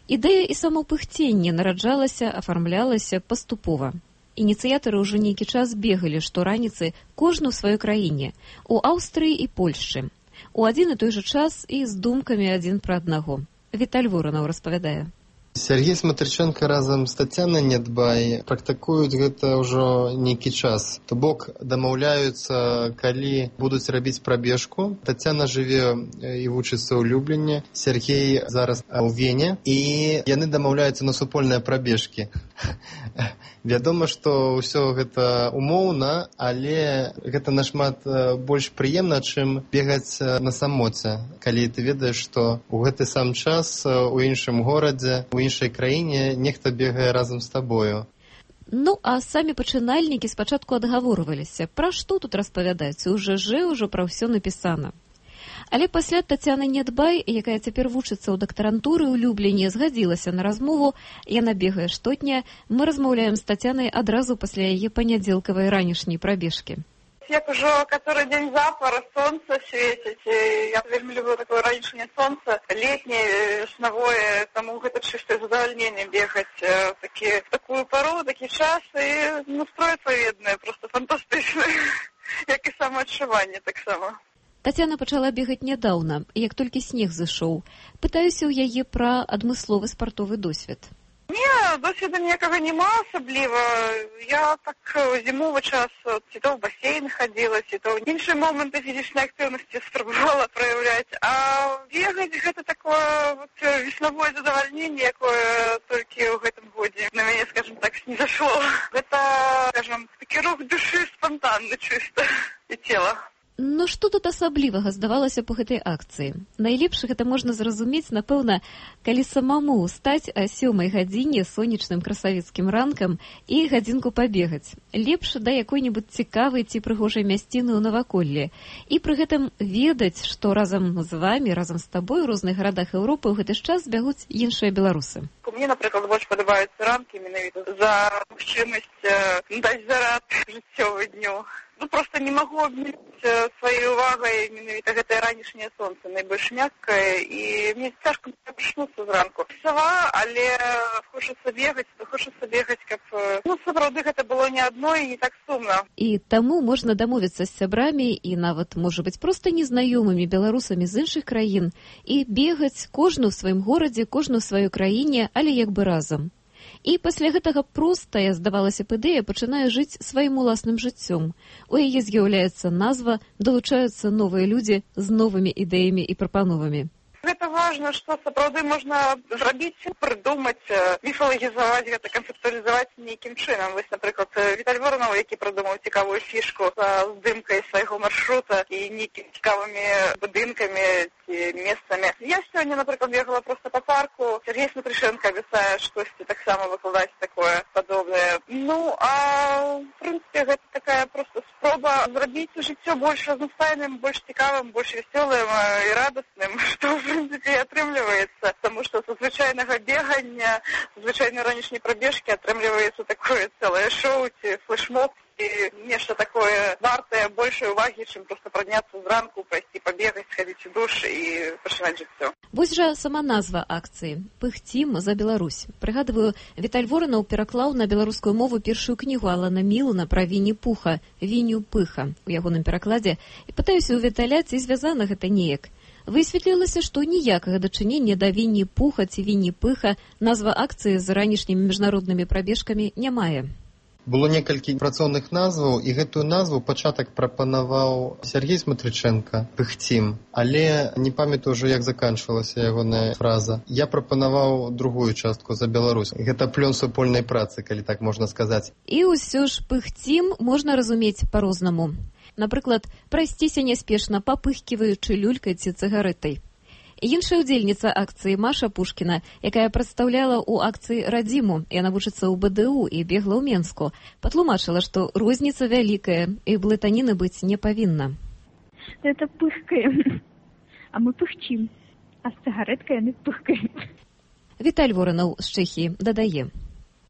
Ідэя і само пыхценне нараджалася, афармлялася паступова. Ініцыятары ўжо нейкі час бегалі штораніцы кожны ў сваёй краіне, у Аўстрыі і Польшчы. У адзін і той жа час і з думкамі адзін пра аднаго. Віталь Воранаў распавядае. Сергей Смотриченко разам з Тацянай Нядбай практыкуюць гэта ўжо нейкі час. То бок дамаўляюцца, калі будуць рабіць прабежку. Тацяна жыве і вучыцца ў Любліне, Сергей зараз у Вене, і яны дамаўляюцца на супольныя прабежкі. Вядома, што ўсё гэта умоўна, але гэта нашмат больш прыемна, чым бегаць на самоце. Калі ты ведаеш, што ў гэты сам час у іншым горадзе, у іншай краіне нехта бегае разам з табою. Ну, а самі пачынальнікі спачатку адгаворваліся. Пра што тут распавядаць? У ЖЖ ўжо пра ўсё напісана. Але пасля Тацяна Нядбай, якая цяпер вучыцца ў дактарантуры ў Любліне, згадзілася на размову. Яна бегае штотня. Мы размаўляем з Тацянай адразу пасля яе панядзелкавай ранішняй прабежкі. Як ужо который дзень запар, сонца свеціць. Я вельмі люблю такое ранішняе сонца, летняе, веснавое, таму гэта чыстае задавальненне бегаць такі, такую пару, такі час, і настрой адпаведны, проста фантастычны, як і самаадчуванне таксама. Тацяна пачала бегаць нядаўна, як толькі снег зышоў. Пытаюся ў яе пра адмысловы спартовы досвед. Не, досведу ніякага няма асабліва. Я так зімовы час ці то ў басейн хадзіла, ці то ў іншыя моманты фізічнай актыўнасці спрабавала праяўляць. А бегаць гэта такое вот, веснавое задавальненне, якое толькі ў гэтым годзе на мяне, скажем так, снізашло. Гэта, скажем, такі рух душы спантанны чыста і цела. Ну, што тут асаблівага здавалася па гэтай акцыі? Найлепш гэта можна зразумець, напэўна, калі самому ўстаць о сёмай гадзіне сонечным красавіцкім ранкам і гадзінку пабегаць. Лепш да якой-небудзь цікавай ці прыгожай мясціны ў наваколлі. І пры гэтым ведаць, што разам з вамі, разам з табой у розных гарадах Еўропы ў гэты ж час бягуць іншыя беларусы. Мне, напрыклад, больш падабаюцца ранкі менавіта за магчымасць даць зарад жыццёвы дню. Ну, просто не могу обмерить своей увагой менавіта гэтае ранішняе сонца, найбольш мяккае, і мне цяжка прачнуцца зранку. Сава, але хочацца бегаць, то хочацца бегаць, каб, ну, сапраўды гэта было не адно і не так сумна. І таму можна дамовіцца з сябрамі і нават, можа быць, проста незнаёмымі беларусамі з іншых краін і бегаць кожны ў сваім горадзе, кожны ў сваёй краіне, але як бы разам. І пасля гэтага простая, здавалася б, ідэя пачынае жыць сваім уласным жыццём. У яе з'яўляецца назва, далучаюцца новыя людзі з новымі ідэямі і прапановамі. Гэта важна, што сапраўды можна зрабіць, прыдумаць, міфалагізаваць гэта, канцэптуалізаваць нейкім чынам. Вось, напрыклад, Віталь Воранаў, які прыдумаў цікавую фішку з здымкай свайго маршрута і нейкімі цікавымі будынкамі ці месцамі. Я сёння, напрыклад, бегала проста па парку. Сергей Смотрышенко абяцае штосьці таксама выкладаць такое падобнае. Ну, а в прынцыпе, гэта такая проста спроба зрабіць жыццё больш разнастайным, больш цікавым, больш вясёлым і радасным, што, в прынцыпе, і атрымліваецца. Таму што са звычайнага бегання, са звычайнай ранішняй прабежкі атрымліваецца такое цэлае шоу ці флешмоб, і нешта такое вартае большай увагі, чым проста падняцца зранку, пайсці пабегаць, схадзіць у душ і пачынаць жыццё. Вось жа сама назва акцыі «Пыхцім за Беларусь». Прыгадваю, Віталь Воранаў пераклаў на беларускую мову першую кнігу Алана Мілана пра Вінні-Пуха «Вінню Пыха» у ягоным перакладзе, і пытаюся ў Віталя, ці звязана гэта неяк. Высветлілася, што ніякага дачынення да Вінні-Пуха ці Вінні-Пыха назва акцыі з ранішнімі міжнароднымі прабежкамі не мае. Было некалькі працоўных назваў, і гэтую назву пачатак прапанаваў Сергей Смотрыченко «Пыхцім», але не памятаю ўжо, як заканчвалася ягоная фраза. Я прапанаваў другую частку «За Беларусь». Гэта плён супольнай працы, калі так можна сказаць. І ўсё ж «Пыхцім» можна разумець па-рознаму. Напрыклад, прайсціся няспешна, папыхківаючы люлькай ці цыгарэтай. Іншая удзельніца акцыі Маша Пушкіна, якая прадстаўляла ў акцыі радзіму, яна вучыцца ў БДУ і бегла ў Менску, патлумачыла, што розніца вялікая і блытаніны быць не павінна. Это пыхкаем, а мы пыхчим, а з цыгарэткай яны пыхкаем. Віталь Воранаў з Чэхіі дадае.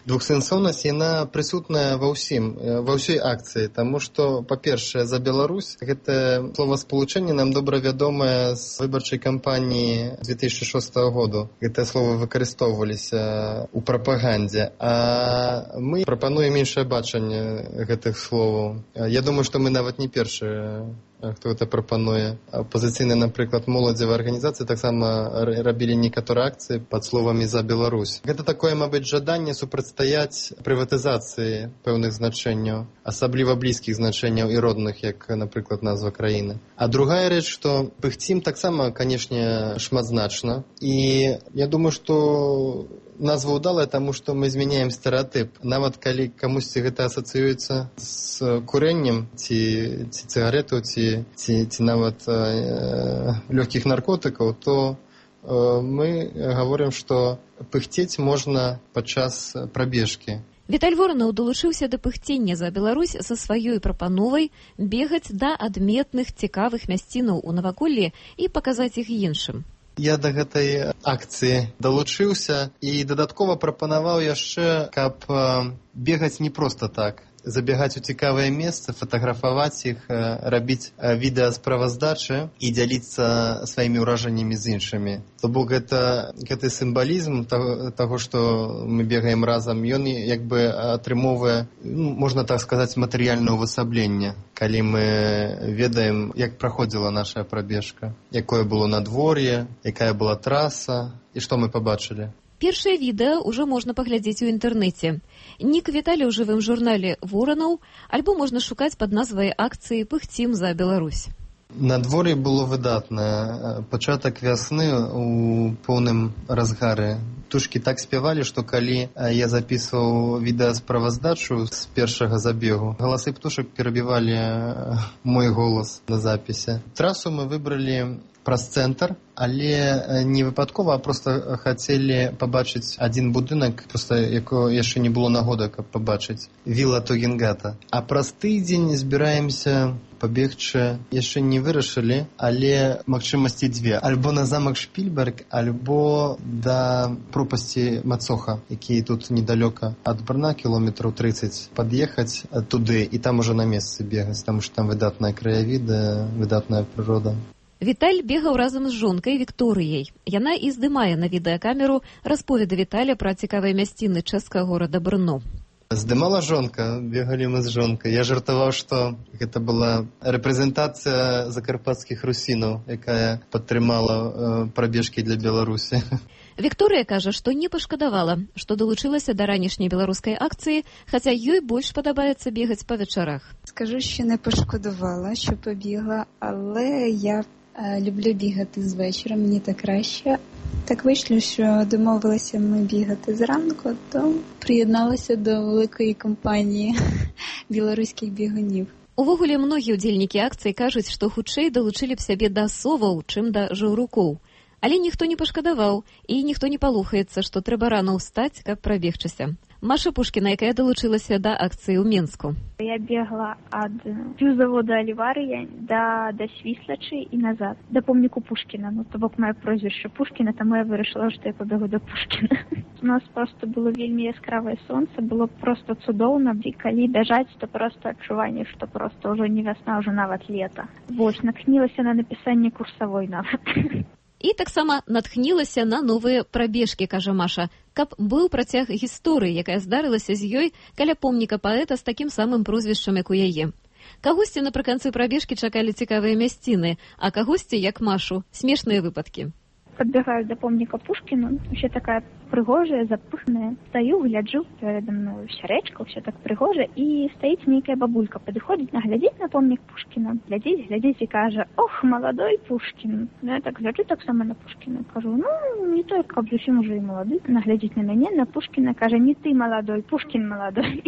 Двухсэнсоўнасць, яна прысутная ва ўсім, ва ўсёй акцыі, таму што, па-першае, за Беларусь, гэта словаспалучэнне нам добра вядомае з выбарчай кампаніі две тысячы шостага году. Гэтыя словы выкарыстоўваліся ў прапагандзе, а мы прапануем іншае бачанне гэтых словаў. Я думаю, што мы нават не першыя, хто гэта прапануе. Апазіцыйныя, напрыклад, моладзевыя арганізацыі таксама рабілі некаторыя акцыі пад словамі «За Беларусь». Гэта такое, мабыць, жаданне супрацьстаяць прыватызацыі пэўных значэнняў, асабліва блізкіх значэнняў і родных, як, напрыклад, назва краіны. А другая рэч, што «Пыхцім» таксама, канешне, шматзначна. І я думаю, што назва ўдалая, таму што мы змяняем стэрэатып. Нават калі камусьці гэта асацыюецца з курэннем, ці, ці цыгаретаў, ці, ці, ці нават э, лёгкіх наркотыкаў, то э, мы гаворым, што пыхцець можна падчас прабежкі. Віталь Воранаў далучыўся да пыхцення за Беларусь са сваёй прапановай бегаць да адметных цікавых мясцінаў у наваколлі і паказаць іх іншым. Я да гэтай акцыі далучыўся і дадаткова прапанаваў яшчэ, каб бегаць не проста так. Забегаць у цікавыя месцы, фатаграфаваць іх, рабіць відэасправаздачы і дзяліцца сваімі ўражаннямі з іншымі. То бок гэта, гэты сімвалізм таго, таго, што мы бегаем разам, ён як бы атрымоўвае, ну, можна так сказаць, матэрыяльнае ўвасабленне, калі мы ведаем, як праходзіла наша прабежка, якое было надвор'е, якая была траса і што мы пабачылі. Першае відэа ўжо можна паглядзець у інтэрнэце. Нік Віталя ў жывым журнале «Воранаў», альбо можна шукаць пад назвай акцыі «Пыхцім за Беларусь». Надвор'е было выдатнае. Пачатак вясны у поўным разгары. Птушкі так спявалі, што калі я запісваў відэасправаздачу з першага забегу, галасы птушак перабівалі мой голас на запісе. Трасу мы выбралі праз цэнтр, але не выпадкова, а проста хацелі пабачыць адзін будынак, проста якого яшчэ не было нагоды, каб пабачыць. Віла Тогенгата. А праз тыдзень збіраемся пабегчы, яшчэ не вырашылі, але магчымасці дзве. Альбо на замак Шпільберг, альбо да пропасці Мацоха, які тут недалёка ад Брна, кіlometrаў трыццаць, пад'ехаць туды і там ужо на месцы бегаць, таму што там выдатная краявіда, выдатная прырода. Віталь бегаў разам з жонкай Вікторыяй. Яна і здымае на відэакамеру расповеды Віталя пра цікавыя мясціны чэшскага горада Брно. Здымала жонка, бегалі мы з жонкай. Я жартаваў, што гэта была рэпрэзентацыя закарпатскіх русінаў, якая падтрымала э, прабежкі для Беларусі. Вікторыя кажа, што не пашкадавала, што долучилася до ранішняй білоруської акції, хоча їй більш подобається бігати по вечорах. Скажу, що не пошкодувала, що побігла, але я Люблю бігати з вечора, мені так краще. Так вийшло, що домовилися ми бігати зранку, то приєдналася до великої компанії білоруських бігунів. Увогуле, многія ўдзельнікі акцыі кажуць, што хутчэй далучылі б сябе да соваў, чым да жаўрукоў. Але ніхто не пашкадаваў, і ніхто не палухаецца, што трэба рана ўстаць, каб прабегчыся. Маша Пушкіна, якая далучылася да акцыі ў Менску. Я бегла ад півзавода Аліварыя да, да Свіслачы і назад, да помніку Пушкіна. Ну, то бок мае прозвішча Пушкіна, таму я вырашыла, што я пабегу да Пушкіна. У нас просто было вельмі яскравае сонца, было просто цудоўна, і калі бяжаць, то просто адчуванне, што просто ўжо не вясна, ўжо нават лета. Вось, натхнілася на напісанне курсавой нават. І таксама натхнілася на новыя прабежкі, кажа Маша, каб быў працяг гісторыі, якая здарылася з ёй каля помніка паэта з такім самым прозвішчам, як у яе. Кагосьці напрыканцы прабежкі чакалі цікавыя мясціны, а кагосьці, як Машу, смешныя выпадкі. Подбегаю до помника Пушкину, вообще такая пригожая, запыханная. Стою, гляджу, передо мной вся речка, все так пригоже, и стоит некая бабулька, подходит, наглядеть на помник Пушкина, глядеть, глядеть и каже: ох, молодой Пушкин. Я так гляджу так само на Пушкина, кажу: ну, не только, а зовсім уже и молодой. Наглядеть на меня, на Пушкина, каже: не ты молодой, Пушкин молодой.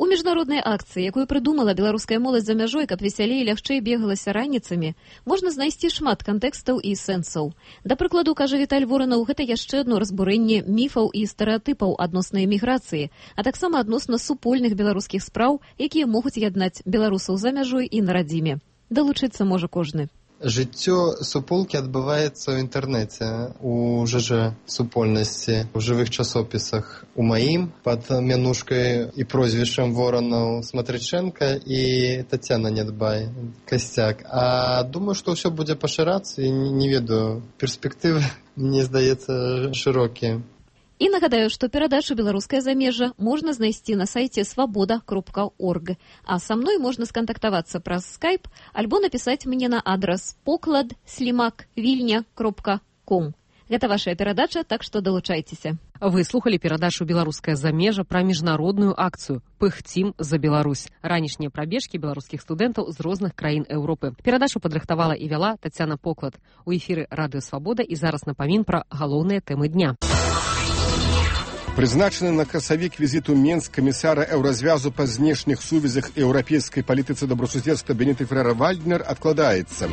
У міжнароднай акцыі, якую прыдумала беларуская моладзь за мяжой, каб весялей і лягчэй бегалася раніцамі, можна знайсці шмат кантэкстаў і сэнсаў. Да прыкладу, кажа Віталь Воранаў, гэта яшчэ адно разбурэнне міфаў і стэрэатыпаў адносна эміграцыі, а таксама адносна супольных беларускіх спраў, якія могуць яднаць беларусаў за мяжой і на радзіме. Далучыцца можа кожны. Жыццё суполкі адбываецца ў інтэрнэце, у ЖЖ супольнасці, у жывых часопісах. У маім пад мянушкай і прозвішчам Воранаў Смотрыченка і Тацяна Нядбай, Касцяк. А думаю, што ўсё будзе пашырацца, і не ведаю, перспектывы, мне здаецца, шырокія. І нагадаю, што перадачу «Беларускае замежжа» можна знайсці на сайце свабода кропка орг. А са мной можна скантактавацца праз скайп альбо напісаць мне на адрас поклад слімак вільня кропка ком. Гэта вашая перадача, так што далучайцеся. Вы слухалі перадачу «Беларускае замежжа» пра міжнародную акцыю «Пыхцім за Беларусь». Ранішнія прабежкі беларускіх студэнтаў з розных краін Еўропы. Перадачу падрыхтавала і вяла Тацяна Поклад. У эфіры «Радыё Свабода» і зараз напамін пра галоўныя тэмы дня. Прызначаны на красавік візіту Менск камісара еўразвязу па знешніх сувязях і еўрапейскай палітыцы добрасуседства Бенеты Фрера-Вальднер адкладаецца.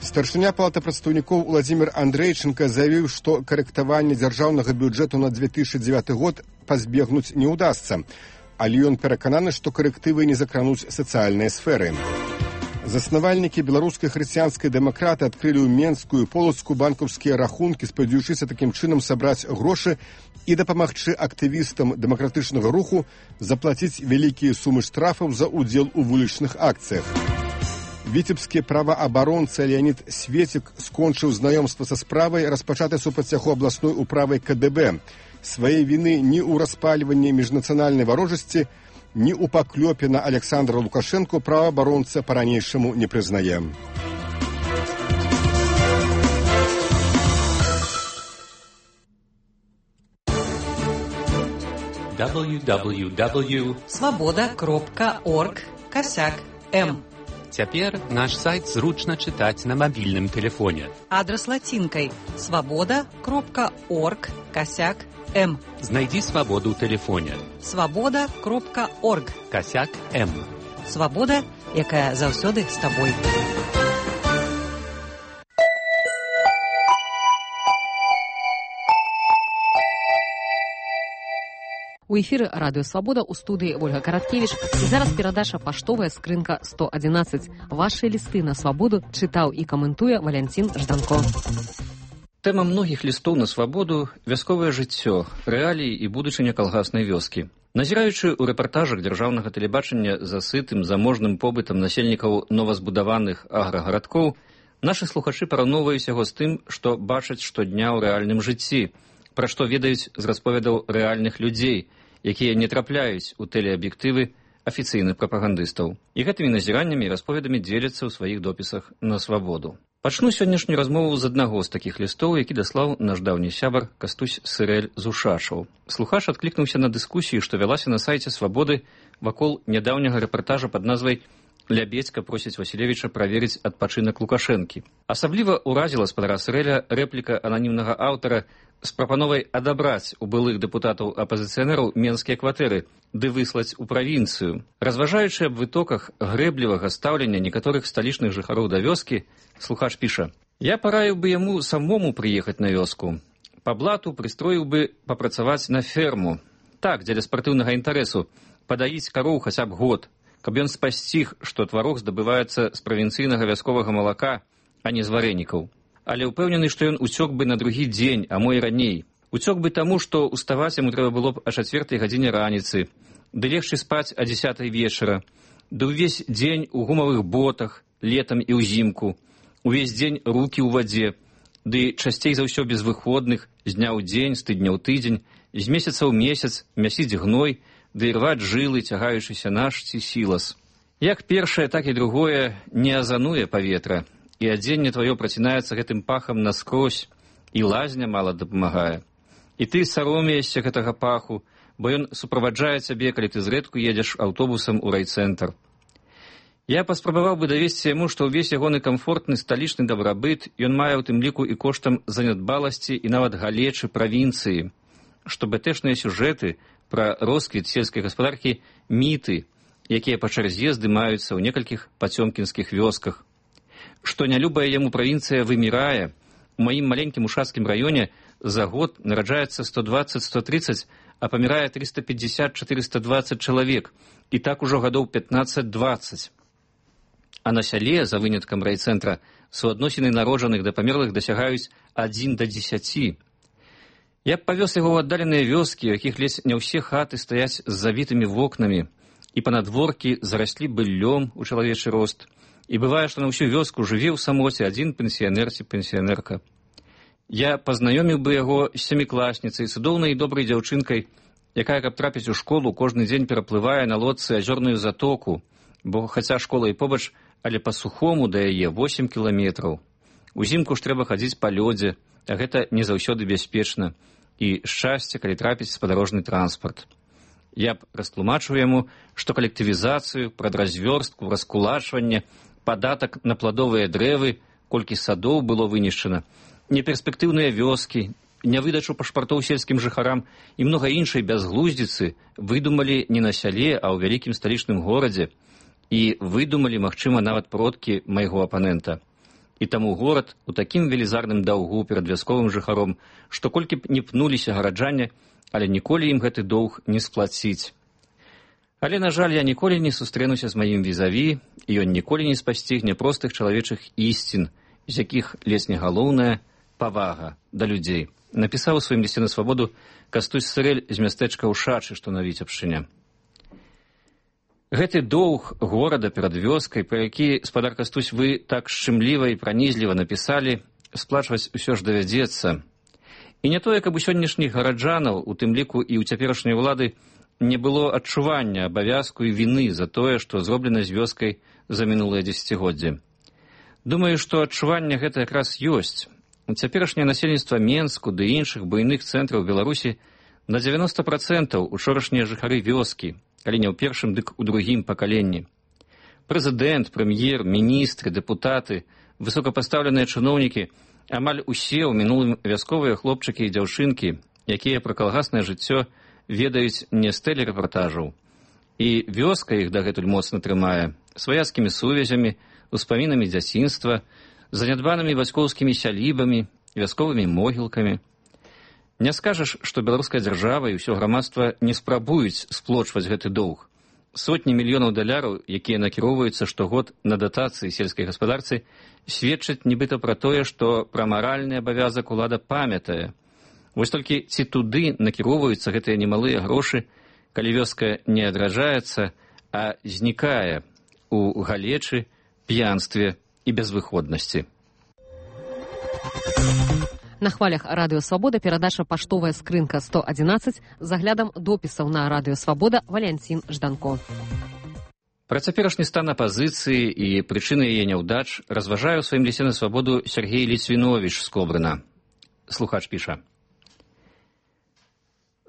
Старшыня палаты прадстаўнікоў Уладзімір Андрэйчынка заявіў, што карэктаванне дзяржаўнага бюджэту на две тысячи девятый год пазбегнуць не ўдасца, але ён перакананы, што карэктывы не закрануць сацыяльныя сферы. Заснавальнікі беларускай хрысціянскай дэмакраты адкрылі ў Менску і Полацку банкаўскія рахункі, спадзяючыся такім чынам сабраць грошы і дапамагчы актывістам дэмакратычнага руху заплаціць вялікія сумы штрафаў за ўдзел у вулічных акцыях. Віцебскі праваабаронца Леонід Светік скончыў знаёмства са справай, распачатай супраць яго абласной управай ка дэ бэ. Свае віны ні ў распальванні міжнацыянальнай варожасці, ні ў паклёпе на Александра Лукашэнку праваабаронца па-ранейшаму не прызнае. дабл ю дабл ю дабл ю кропка свабода кропка орг касяк эм. Цяпер наш сайт зручна чытаць на мабільным тэлефоне. Адрас лацінкай свабода кропка орг касяк эм. Знайдзі свабоду ў тэлефоне. свабода кропка орг касяк эм. Свабода, якая заўсёды з табой. У эфіры «Радыё Свабода», у студыі Ольга Караткевіч. І зараз перадача «Паштовая скрынка сто адзінаццаць». Вашыя лісты на свабоду чытаў і каментуе Валянцін Жданко. Тэма многіх лістоў на свабоду – вясковае жыццё, рэаліі і будучыня калгаснай вёскі. Назіраючы ў рэпартажах дзяржаўнага тэлебачання за сытым, заможным побытам насельнікаў новазбудаваных аграгарадкоў, нашы слухачы параўноўваюць яго з тым, што бачаць штодня ў рэальным жыцці, пра што ведаюць з расповедаў рэальных людзей, якія не трапляюць у тэлеаб'ектывы афіцыйных прапагандыстаў. І гэтымі назіраннямі і расповедамі дзеляцца ў сваіх допісах на свабоду. Пачну сённяшнюю размову з аднаго з такіх лістоў, які даслаў наш даўні сябар Кастусь Сырэль з Ушашаў. Слухач адклікнуўся на дыскусію, што вялася на сайце свабоды вакол нядаўняга рэпартажа пад назвай Лябедзька просіць Васілевіча праверыць адпачынак Лукашэнкі. Асабліва ўразіла спадара Сырэля рэпліка ананімнага аўтара з прапановай адабраць у былых дэпутатаў апазіцыянераў менскія кватэры ды выслаць у правінцыю. Разважаючы аб вытоках грэблівага стаўлення некаторых сталічных жыхароў да вёскі, слухач піша: «Я параіў бы яму самому прыехаць на вёску. Па блату прыстроіў бы папрацаваць на ферму. Так, дзеля спартыўнага інтарэсу, падаіць кароў хаця б год, каб ён спасціг, што тварог здабываецца з правінцыйнага вясковага малака, а не з варэнікаў. Але ўпэўнены, што ён уцёк бы на другі дзень, а мо і раней. Уцёк бы таму, што уставаць яму трэба было б о чацвёртай гадзіне раніцы, ды легчы спаць о дзесятай вечара, ды ўвесь дзень у гумавых ботах, летам і ўзімку, увесь дзень рукі ў вадзе, ды часцей за ўсё без выходных, з дня ў дзень, з тыдня ў тыдзень, з месяца ў месяц мясіць гной, ды рваць жылы, цягаючыся наш ці сілас. Як першае, так і другое не азануе паветра, і адзенне тваё працінаецца гэтым пахам наскрозь, і лазня мала дапамагае. І ты саромеешся гэтага паху, бо ён суправаджае цябе, калі ты зрэдку едзеш аўтобусам у райцэнтр. Я паспрабаваў бы давесці яму, што ўвесь ягоны камфортны сталічны дабрабыт ён мае ў тым ліку і коштам занядбаласці і нават галечы правінцыі, што бэтэшныя сюжэты пра росквіт сельскай гаспадаркі міты, якія па чарзе здымаюцца ў некалькіх пацёмкінскіх вёсках. Што нялюбая яму правінцыя вымірае, у маім маленькім ушацкім раёне за год нараджаецца сто дваццаць - сто трыццаць, а памірае трыста пятьдесят - четыреста двадцать чалавек, і так ужо гадоў пятнаццаць - дваццаць. А на сяле, за выняткам райцэнтра, суадносіны народжаных да памерлых дасягаюць адзін да дзесяці. Я б павёз яго ў аддаленыя вёскі, у якіх ледзь не ўсе хаты стаяць з завітымі вокнамі, і панадворкі зараслі быллём у чалавечы рост, і бывае, што на ўсю вёску жыве ў самоце адзін пенсіянер ці пенсіянерка. Я пазнаёміў бы яго з сямікласніцай, цудоўнай і добрай дзяўчынкай, якая, каб трапіць у школу, кожны дзень пераплывае на лодцы азёрную затоку, бо хаця школа і побач, але па-сухому да яе восем кіламетраў. Узімку ж трэба хадзіць па лёдзе, а гэта не заўсёды бяспечна, і шчасце, калі трапіць спадарожны транспарт. Я б растлумачыў яму, што калектывізацыю, прадразвёрстку, раскулачванне, падатак на пладовыя дрэвы, колькі садоў было вынішчана, неперспектыўныя вёскі, нявыдачу пашпартоў сельскім жыхарам і многа іншай бязглуздзіцы выдумалі не на сяле, а ў вялікім сталічным горадзе, і выдумалі, магчыма, нават продкі майго апанента. І таму горад у такім велізарным даўгу перад вясковым жыхаром, што колькі б не пнуліся гараджане, але ніколі ім гэты доўг не сплаціць. Але, на жаль, я ніколі не сустрэнуся з маім візаві, і ён ніколі не спасцігне простых чалавечых ісцін, з якіх ледзь не галоўная павага да людзей. Напісаў у сваім лісце на свабоду Кастусь Сырэль з мястэчка Ушачы, што на Віцебшчыне. Гэты доўг горада перад вёскай, пра які, спадар Кастусь, вы так шчымліва і пранізліва напісалі, сплачваць усё ж давядзецца. І не тое, каб у сённяшніх гараджанаў, у тым ліку і ў цяперашняй улады, не было адчування абавязку і віны за тое, што зроблена з вёскай за мінулыя дзесяцігоддзі. Думаю, што адчуванне гэта якраз ёсць. Цяперашняе насельніцтва Менску ды іншых буйных цэнтраў Беларусі на дзевяноста працэнтаў учорашнія жыхары вёскі, калі не ў першым, дык у другім пакаленні. Прэзідэнт, прэм'ер, міністры, дэпутаты, высокапастаўленыя чыноўнікі, амаль усе ў мінулым вясковыя хлопчыкі і дзяўчынкі, якія пра калгаснае жыццё ведаюць не з тэлерэпартажаў. І вёска іх дагэтуль моцна трымае сваяцкімі сувязямі, успамінамі дзяцінства, занядбанымі бацькоўскімі сялібамі, вясковымі могілкамі. Не скажаш, што беларуская дзяржава і ўсё грамадства не спрабуюць сплочваць гэты доўг. Сотні мільёнаў даляраў, якія накіроўваюцца штогод на датацыі сельскай гаспадарцы, сведчаць нібыта пра тое, што пра маральны абавязак улада памятае. Вось толькі ці туды накіроўваюцца гэтыя немалыя грошы, калі вёска не адраджаецца, а знікае у галечы, п'янстве і безвыходнасці. На хвалях радыё Свабода перадача паштовая скрынка сто адзінаццаць з аглядам допісаў на радыё Свабода Валянцін Жданко. Пра цяперашні стан апазіцыі і прычыны яе няўдач разважае ў сваім лісце на свабоду Сергей Ліцвіновіч з Кобрына. Слухач піша: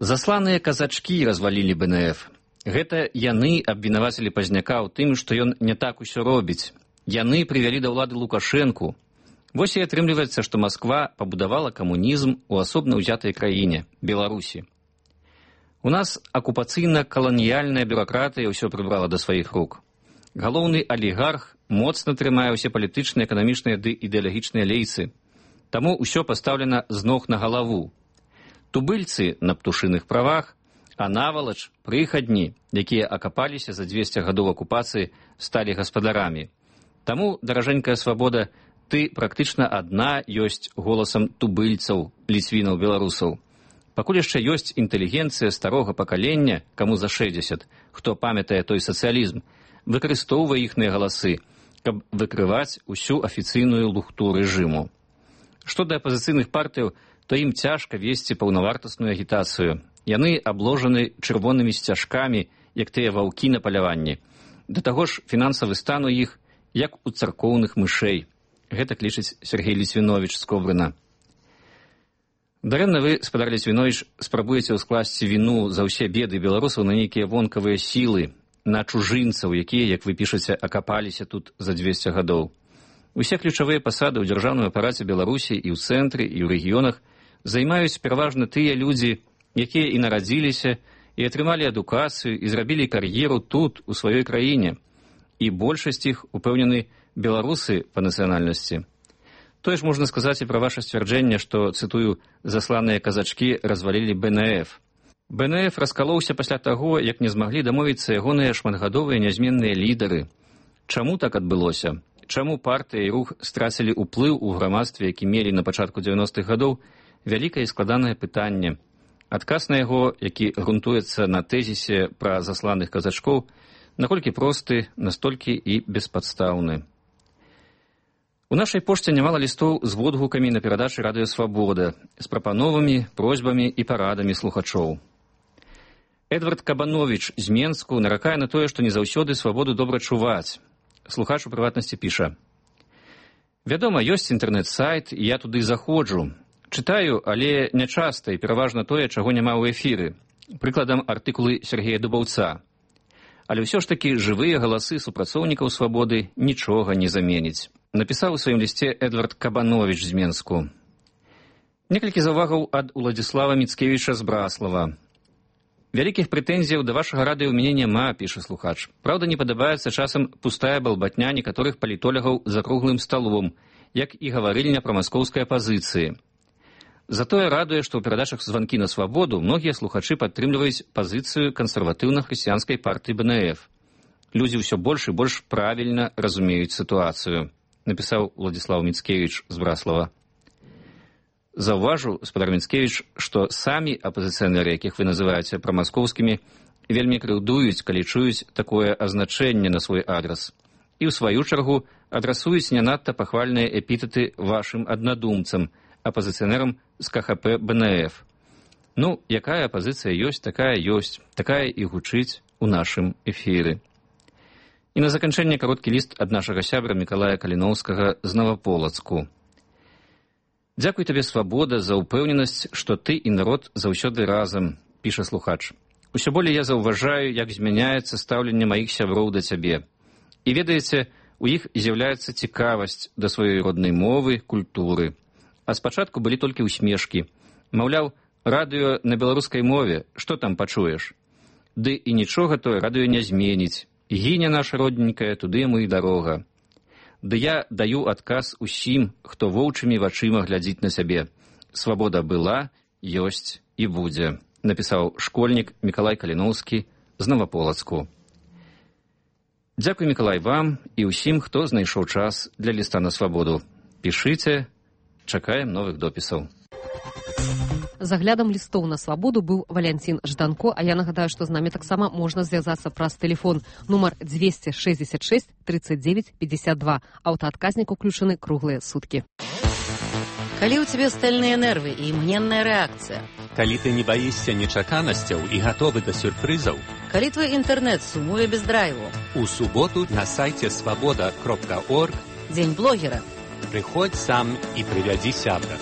«Засланыя казачкі развалілі бэ эн эф. Гэта яны абвінавацілі Пазняка ў тым, што ён не так усё робіць. Яны прывялі да ўлады Лукашэнку. Вось і атрымліваецца, што Масква пабудавала камунізм у асобна ўзятай краіне, Беларусі. У нас акупацыйна-каланіяльная бюракратыя ўсё прыбрала да сваіх рук. Галоўны алігарх моцна трымае ўсе палітычныя, эканамічныя ды ідэалагічныя лейцы. Таму ўсё пастаўлена з ног на галаву. Тубыльцы на птушыных правах, а навалач прыхадні, якія акапаліся за дзвесце гадоў акупацыі, сталі гаспадарамі. Таму, даражэнькая свабода, ты практычна адна ёсць голасам тубыльцаў, ліцвінаў, беларусаў. Пакуль яшчэ ёсць інтэлігенцыя старога пакалення, каму за шэсцьдзесят, хто памятае той сацыялізм, выкарыстоўвае іхныя галасы, каб выкрываць усю афіцыйную лухту рэжыму. Што да апазіцыйных партыяў, то ім цяжка весці паўнавартасную агітацыю. Яны абложаны чырвонымі сцяжкамі, як тыя ваўкі на паляванні. Да таго ж фінансавы стан у іх, як у царкоўных мышэй. Гэтак лічыць Сергей Ліцвіновіч з Коврына. Дарэмна вы, спадар Ліцвіновіч, спрабуеце ўскласці віну за ўсе беды беларусаў на нейкія вонкавыя сілы, на чужынцаў, якія, як вы пішаце, акапаліся тут за дзвесце гадоў. Усе ключавыя пасады ў дзяржаўным апараце Беларусі і ў цэнтры, і ў рэгіёнах займаюць пераважна тыя людзі, якія і нарадзіліся, і атрымалі адукацыю, і зрабілі кар'еру тут, у сваёй краіне. І большасць іх, упэўнены, беларусы па нацыянальнасці. Тое ж можна сказаць і пра ваша сцвярджэнне, што, цытую, засланыя казачкі развалілі Бэ Эн Эф. Бэ Эн Эф раскалоўся пасля таго, як не змаглі дамовіцца ягоныя шматгадовыя нязменныя лідары. Чаму так адбылося? Чаму партыя і рух страцілі ўплыў у грамадстве, які мелі на пачатку дзевяностых гадоў, вялікае і складанае пытанне. Адказ на яго, які грунтуецца на тэзісе пра засланых казачкоў, наколькі просты, настолькі і беспадстаўны. У нашай пошце нямала лістоў з водгукамі на перадачы Радыё Свабода, з прапановамі, просьбамі і парадамі слухачоў. Эдвард Кабановіч з Менску наракае на тое, што не заўсёды свабоду добра чуваць. Слухач у прыватнасці піша: «Вядома, ёсць інтэрнэт-сайт, і я туды заходжу. Чытаю, але нячаста і пераважна тое, чаго няма ў эфіры. Прыкладам, артыкулы Сергея Дубаўца. Але ўсё ж такі жывыя галасы супрацоўнікаў свабоды нічога не заменіць». Напісаў у сваім лісце Эдвард Кабановіч з Менску. Некалькі заўвагаў ад Уладзіслава Міцкевіча з Браслава. «Вялікіх прэтэнзіяў да вашага радыё ў мяне няма», піша слухач. «Праўда, не падабаецца часам пустая балбатня некаторых палітолягаў за круглым сталом, як і гаварыльня пра маскоўскай апазіцыі. Затое радуе, што ў перадачах «Званкі на свабоду» многія слухачы падтрымліваюць пазіцыю кансерватыўна-хрысціянскай партыі Бэ Эн Эф. Людзі ўсё больш і больш правільна разумеюць сітуацыю», напісаў Уладзіслаў Міцкевіч з Браслава. Заўважу, спадар Міцкевіч, што самі апазіцыянеры, якіх вы называеце прамаскоўскімі, вельмі крыўдуюць, калі чуюць такое азначэнне на свой адрас. І ў сваю чаргу адрасуюць не надта пахвальныя эпітэты вашым аднадумцам, апазіцыянерам з Ка Ха Пэ Бэ Эн Эф. Ну, якая апазіцыя ёсць, такая ёсць, такая і гучыць у нашым эфіры. І на заканчэнне кароткі ліст ад нашага сябра Мікалая Каліноўскага з Новаполацку. «Дзякуй табе, свабода, за ўпэўненасць, што ты і народ заўсёды разам», піша слухач. «Усё болей я заўважаю, як змяняецца стаўленне маіх сяброў да цябе. І ведаеце, у іх з'яўляецца цікавасць да сваёй роднай мовы, культуры. А спачатку былі толькі ўсмешкі. Маўляў, радыё на беларускай мове, што там пачуеш? Ды і нічога тое радыё не зменіць. Гіне наша родненькая, туды яму і дарога. Ды я даю адказ усім, хто воўчымі вачыма глядзіць на сябе. Свабода была, ёсць і будзе», напісаў школьнік Мікалай Каліноўскі з Новаполацку. Дзякуй, Мікалай, вам і ўсім, хто знайшоў час для ліста на свабоду. Пішыце, чакаем новых допісаў. За аглядам лістоў на свабоду быў Валянцін Жданко, а я нагадаю, што з намі таксама можна звязацца праз тэлефон нумар дзвесце шэсцьдзесят шэсць тридцать девять пятьдесят два. Аўтаадказнік уключаны круглыя суткі. Калі ў цябе стальныя нервы і імгненная рэакцыя. Калі ты не баішся нечаканасцяў і гатовы да сюрпрызаў. Калі твой інтэрнэт сумуе без драйву. У суботу на сайце свабода кропка орг Дзень блогера. Прыходзь сам і прывядзі сябра.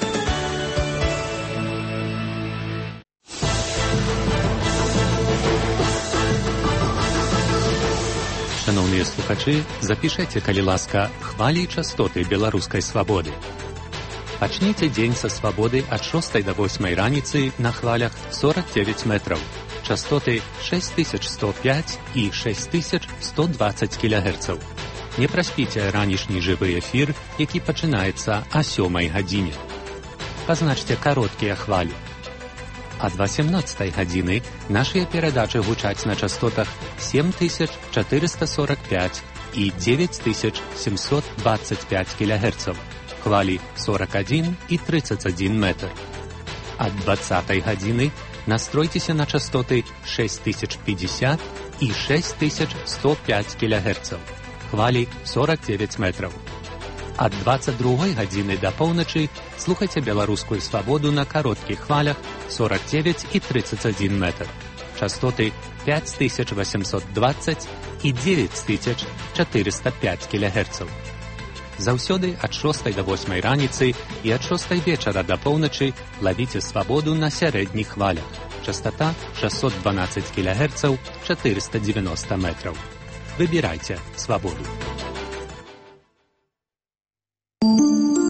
Шановныя слухачы, запішэце, калі ласка, хвалі і частоты беларускай свабоды. Пачніце дзень са свабоды ад шостай да восьмай раніцы на хвалях сорок девять метраў. Частоты шесть тысяч сто пять і шесть тысяч сто двадцать кілягерцаў. Не праспіце ранішні жывы эфір, які пачынаецца о сёмай гадзіне. Пазначце кароткія хвалі. Ад восемнадцатай гадзіны нашыя перадачы гучаць на частотах семь тысяч четыреста сорок пять і девять тысяч семьсот двадцать пять кілягерцаў. Хвалі сорок один і тридцать один метр. Ад двадцатай гадзіны настройцеся на частоты шесть тысяч пятьдесят і шесть тысяч сто пять кілягерцаў. Хвалі сорок девять метраў. Ад двадцать другой гадзіны да поўначы слухайце беларускую свабоду на кароткіх хвалях сорок девять і тридцать один метр. Частоты пять тысяч восемьсот двадцать і девять тысяч четыреста пять кілягерцаў. Заўсёды ад шостай да восьмай раніцы і ад шостай вечара да поўначы лавіце свабоду на сярэдніх хвалях. Частота шестьсот двенадцать кілягерцаў, четыреста девяносто метраў. Выбірайце свабоду.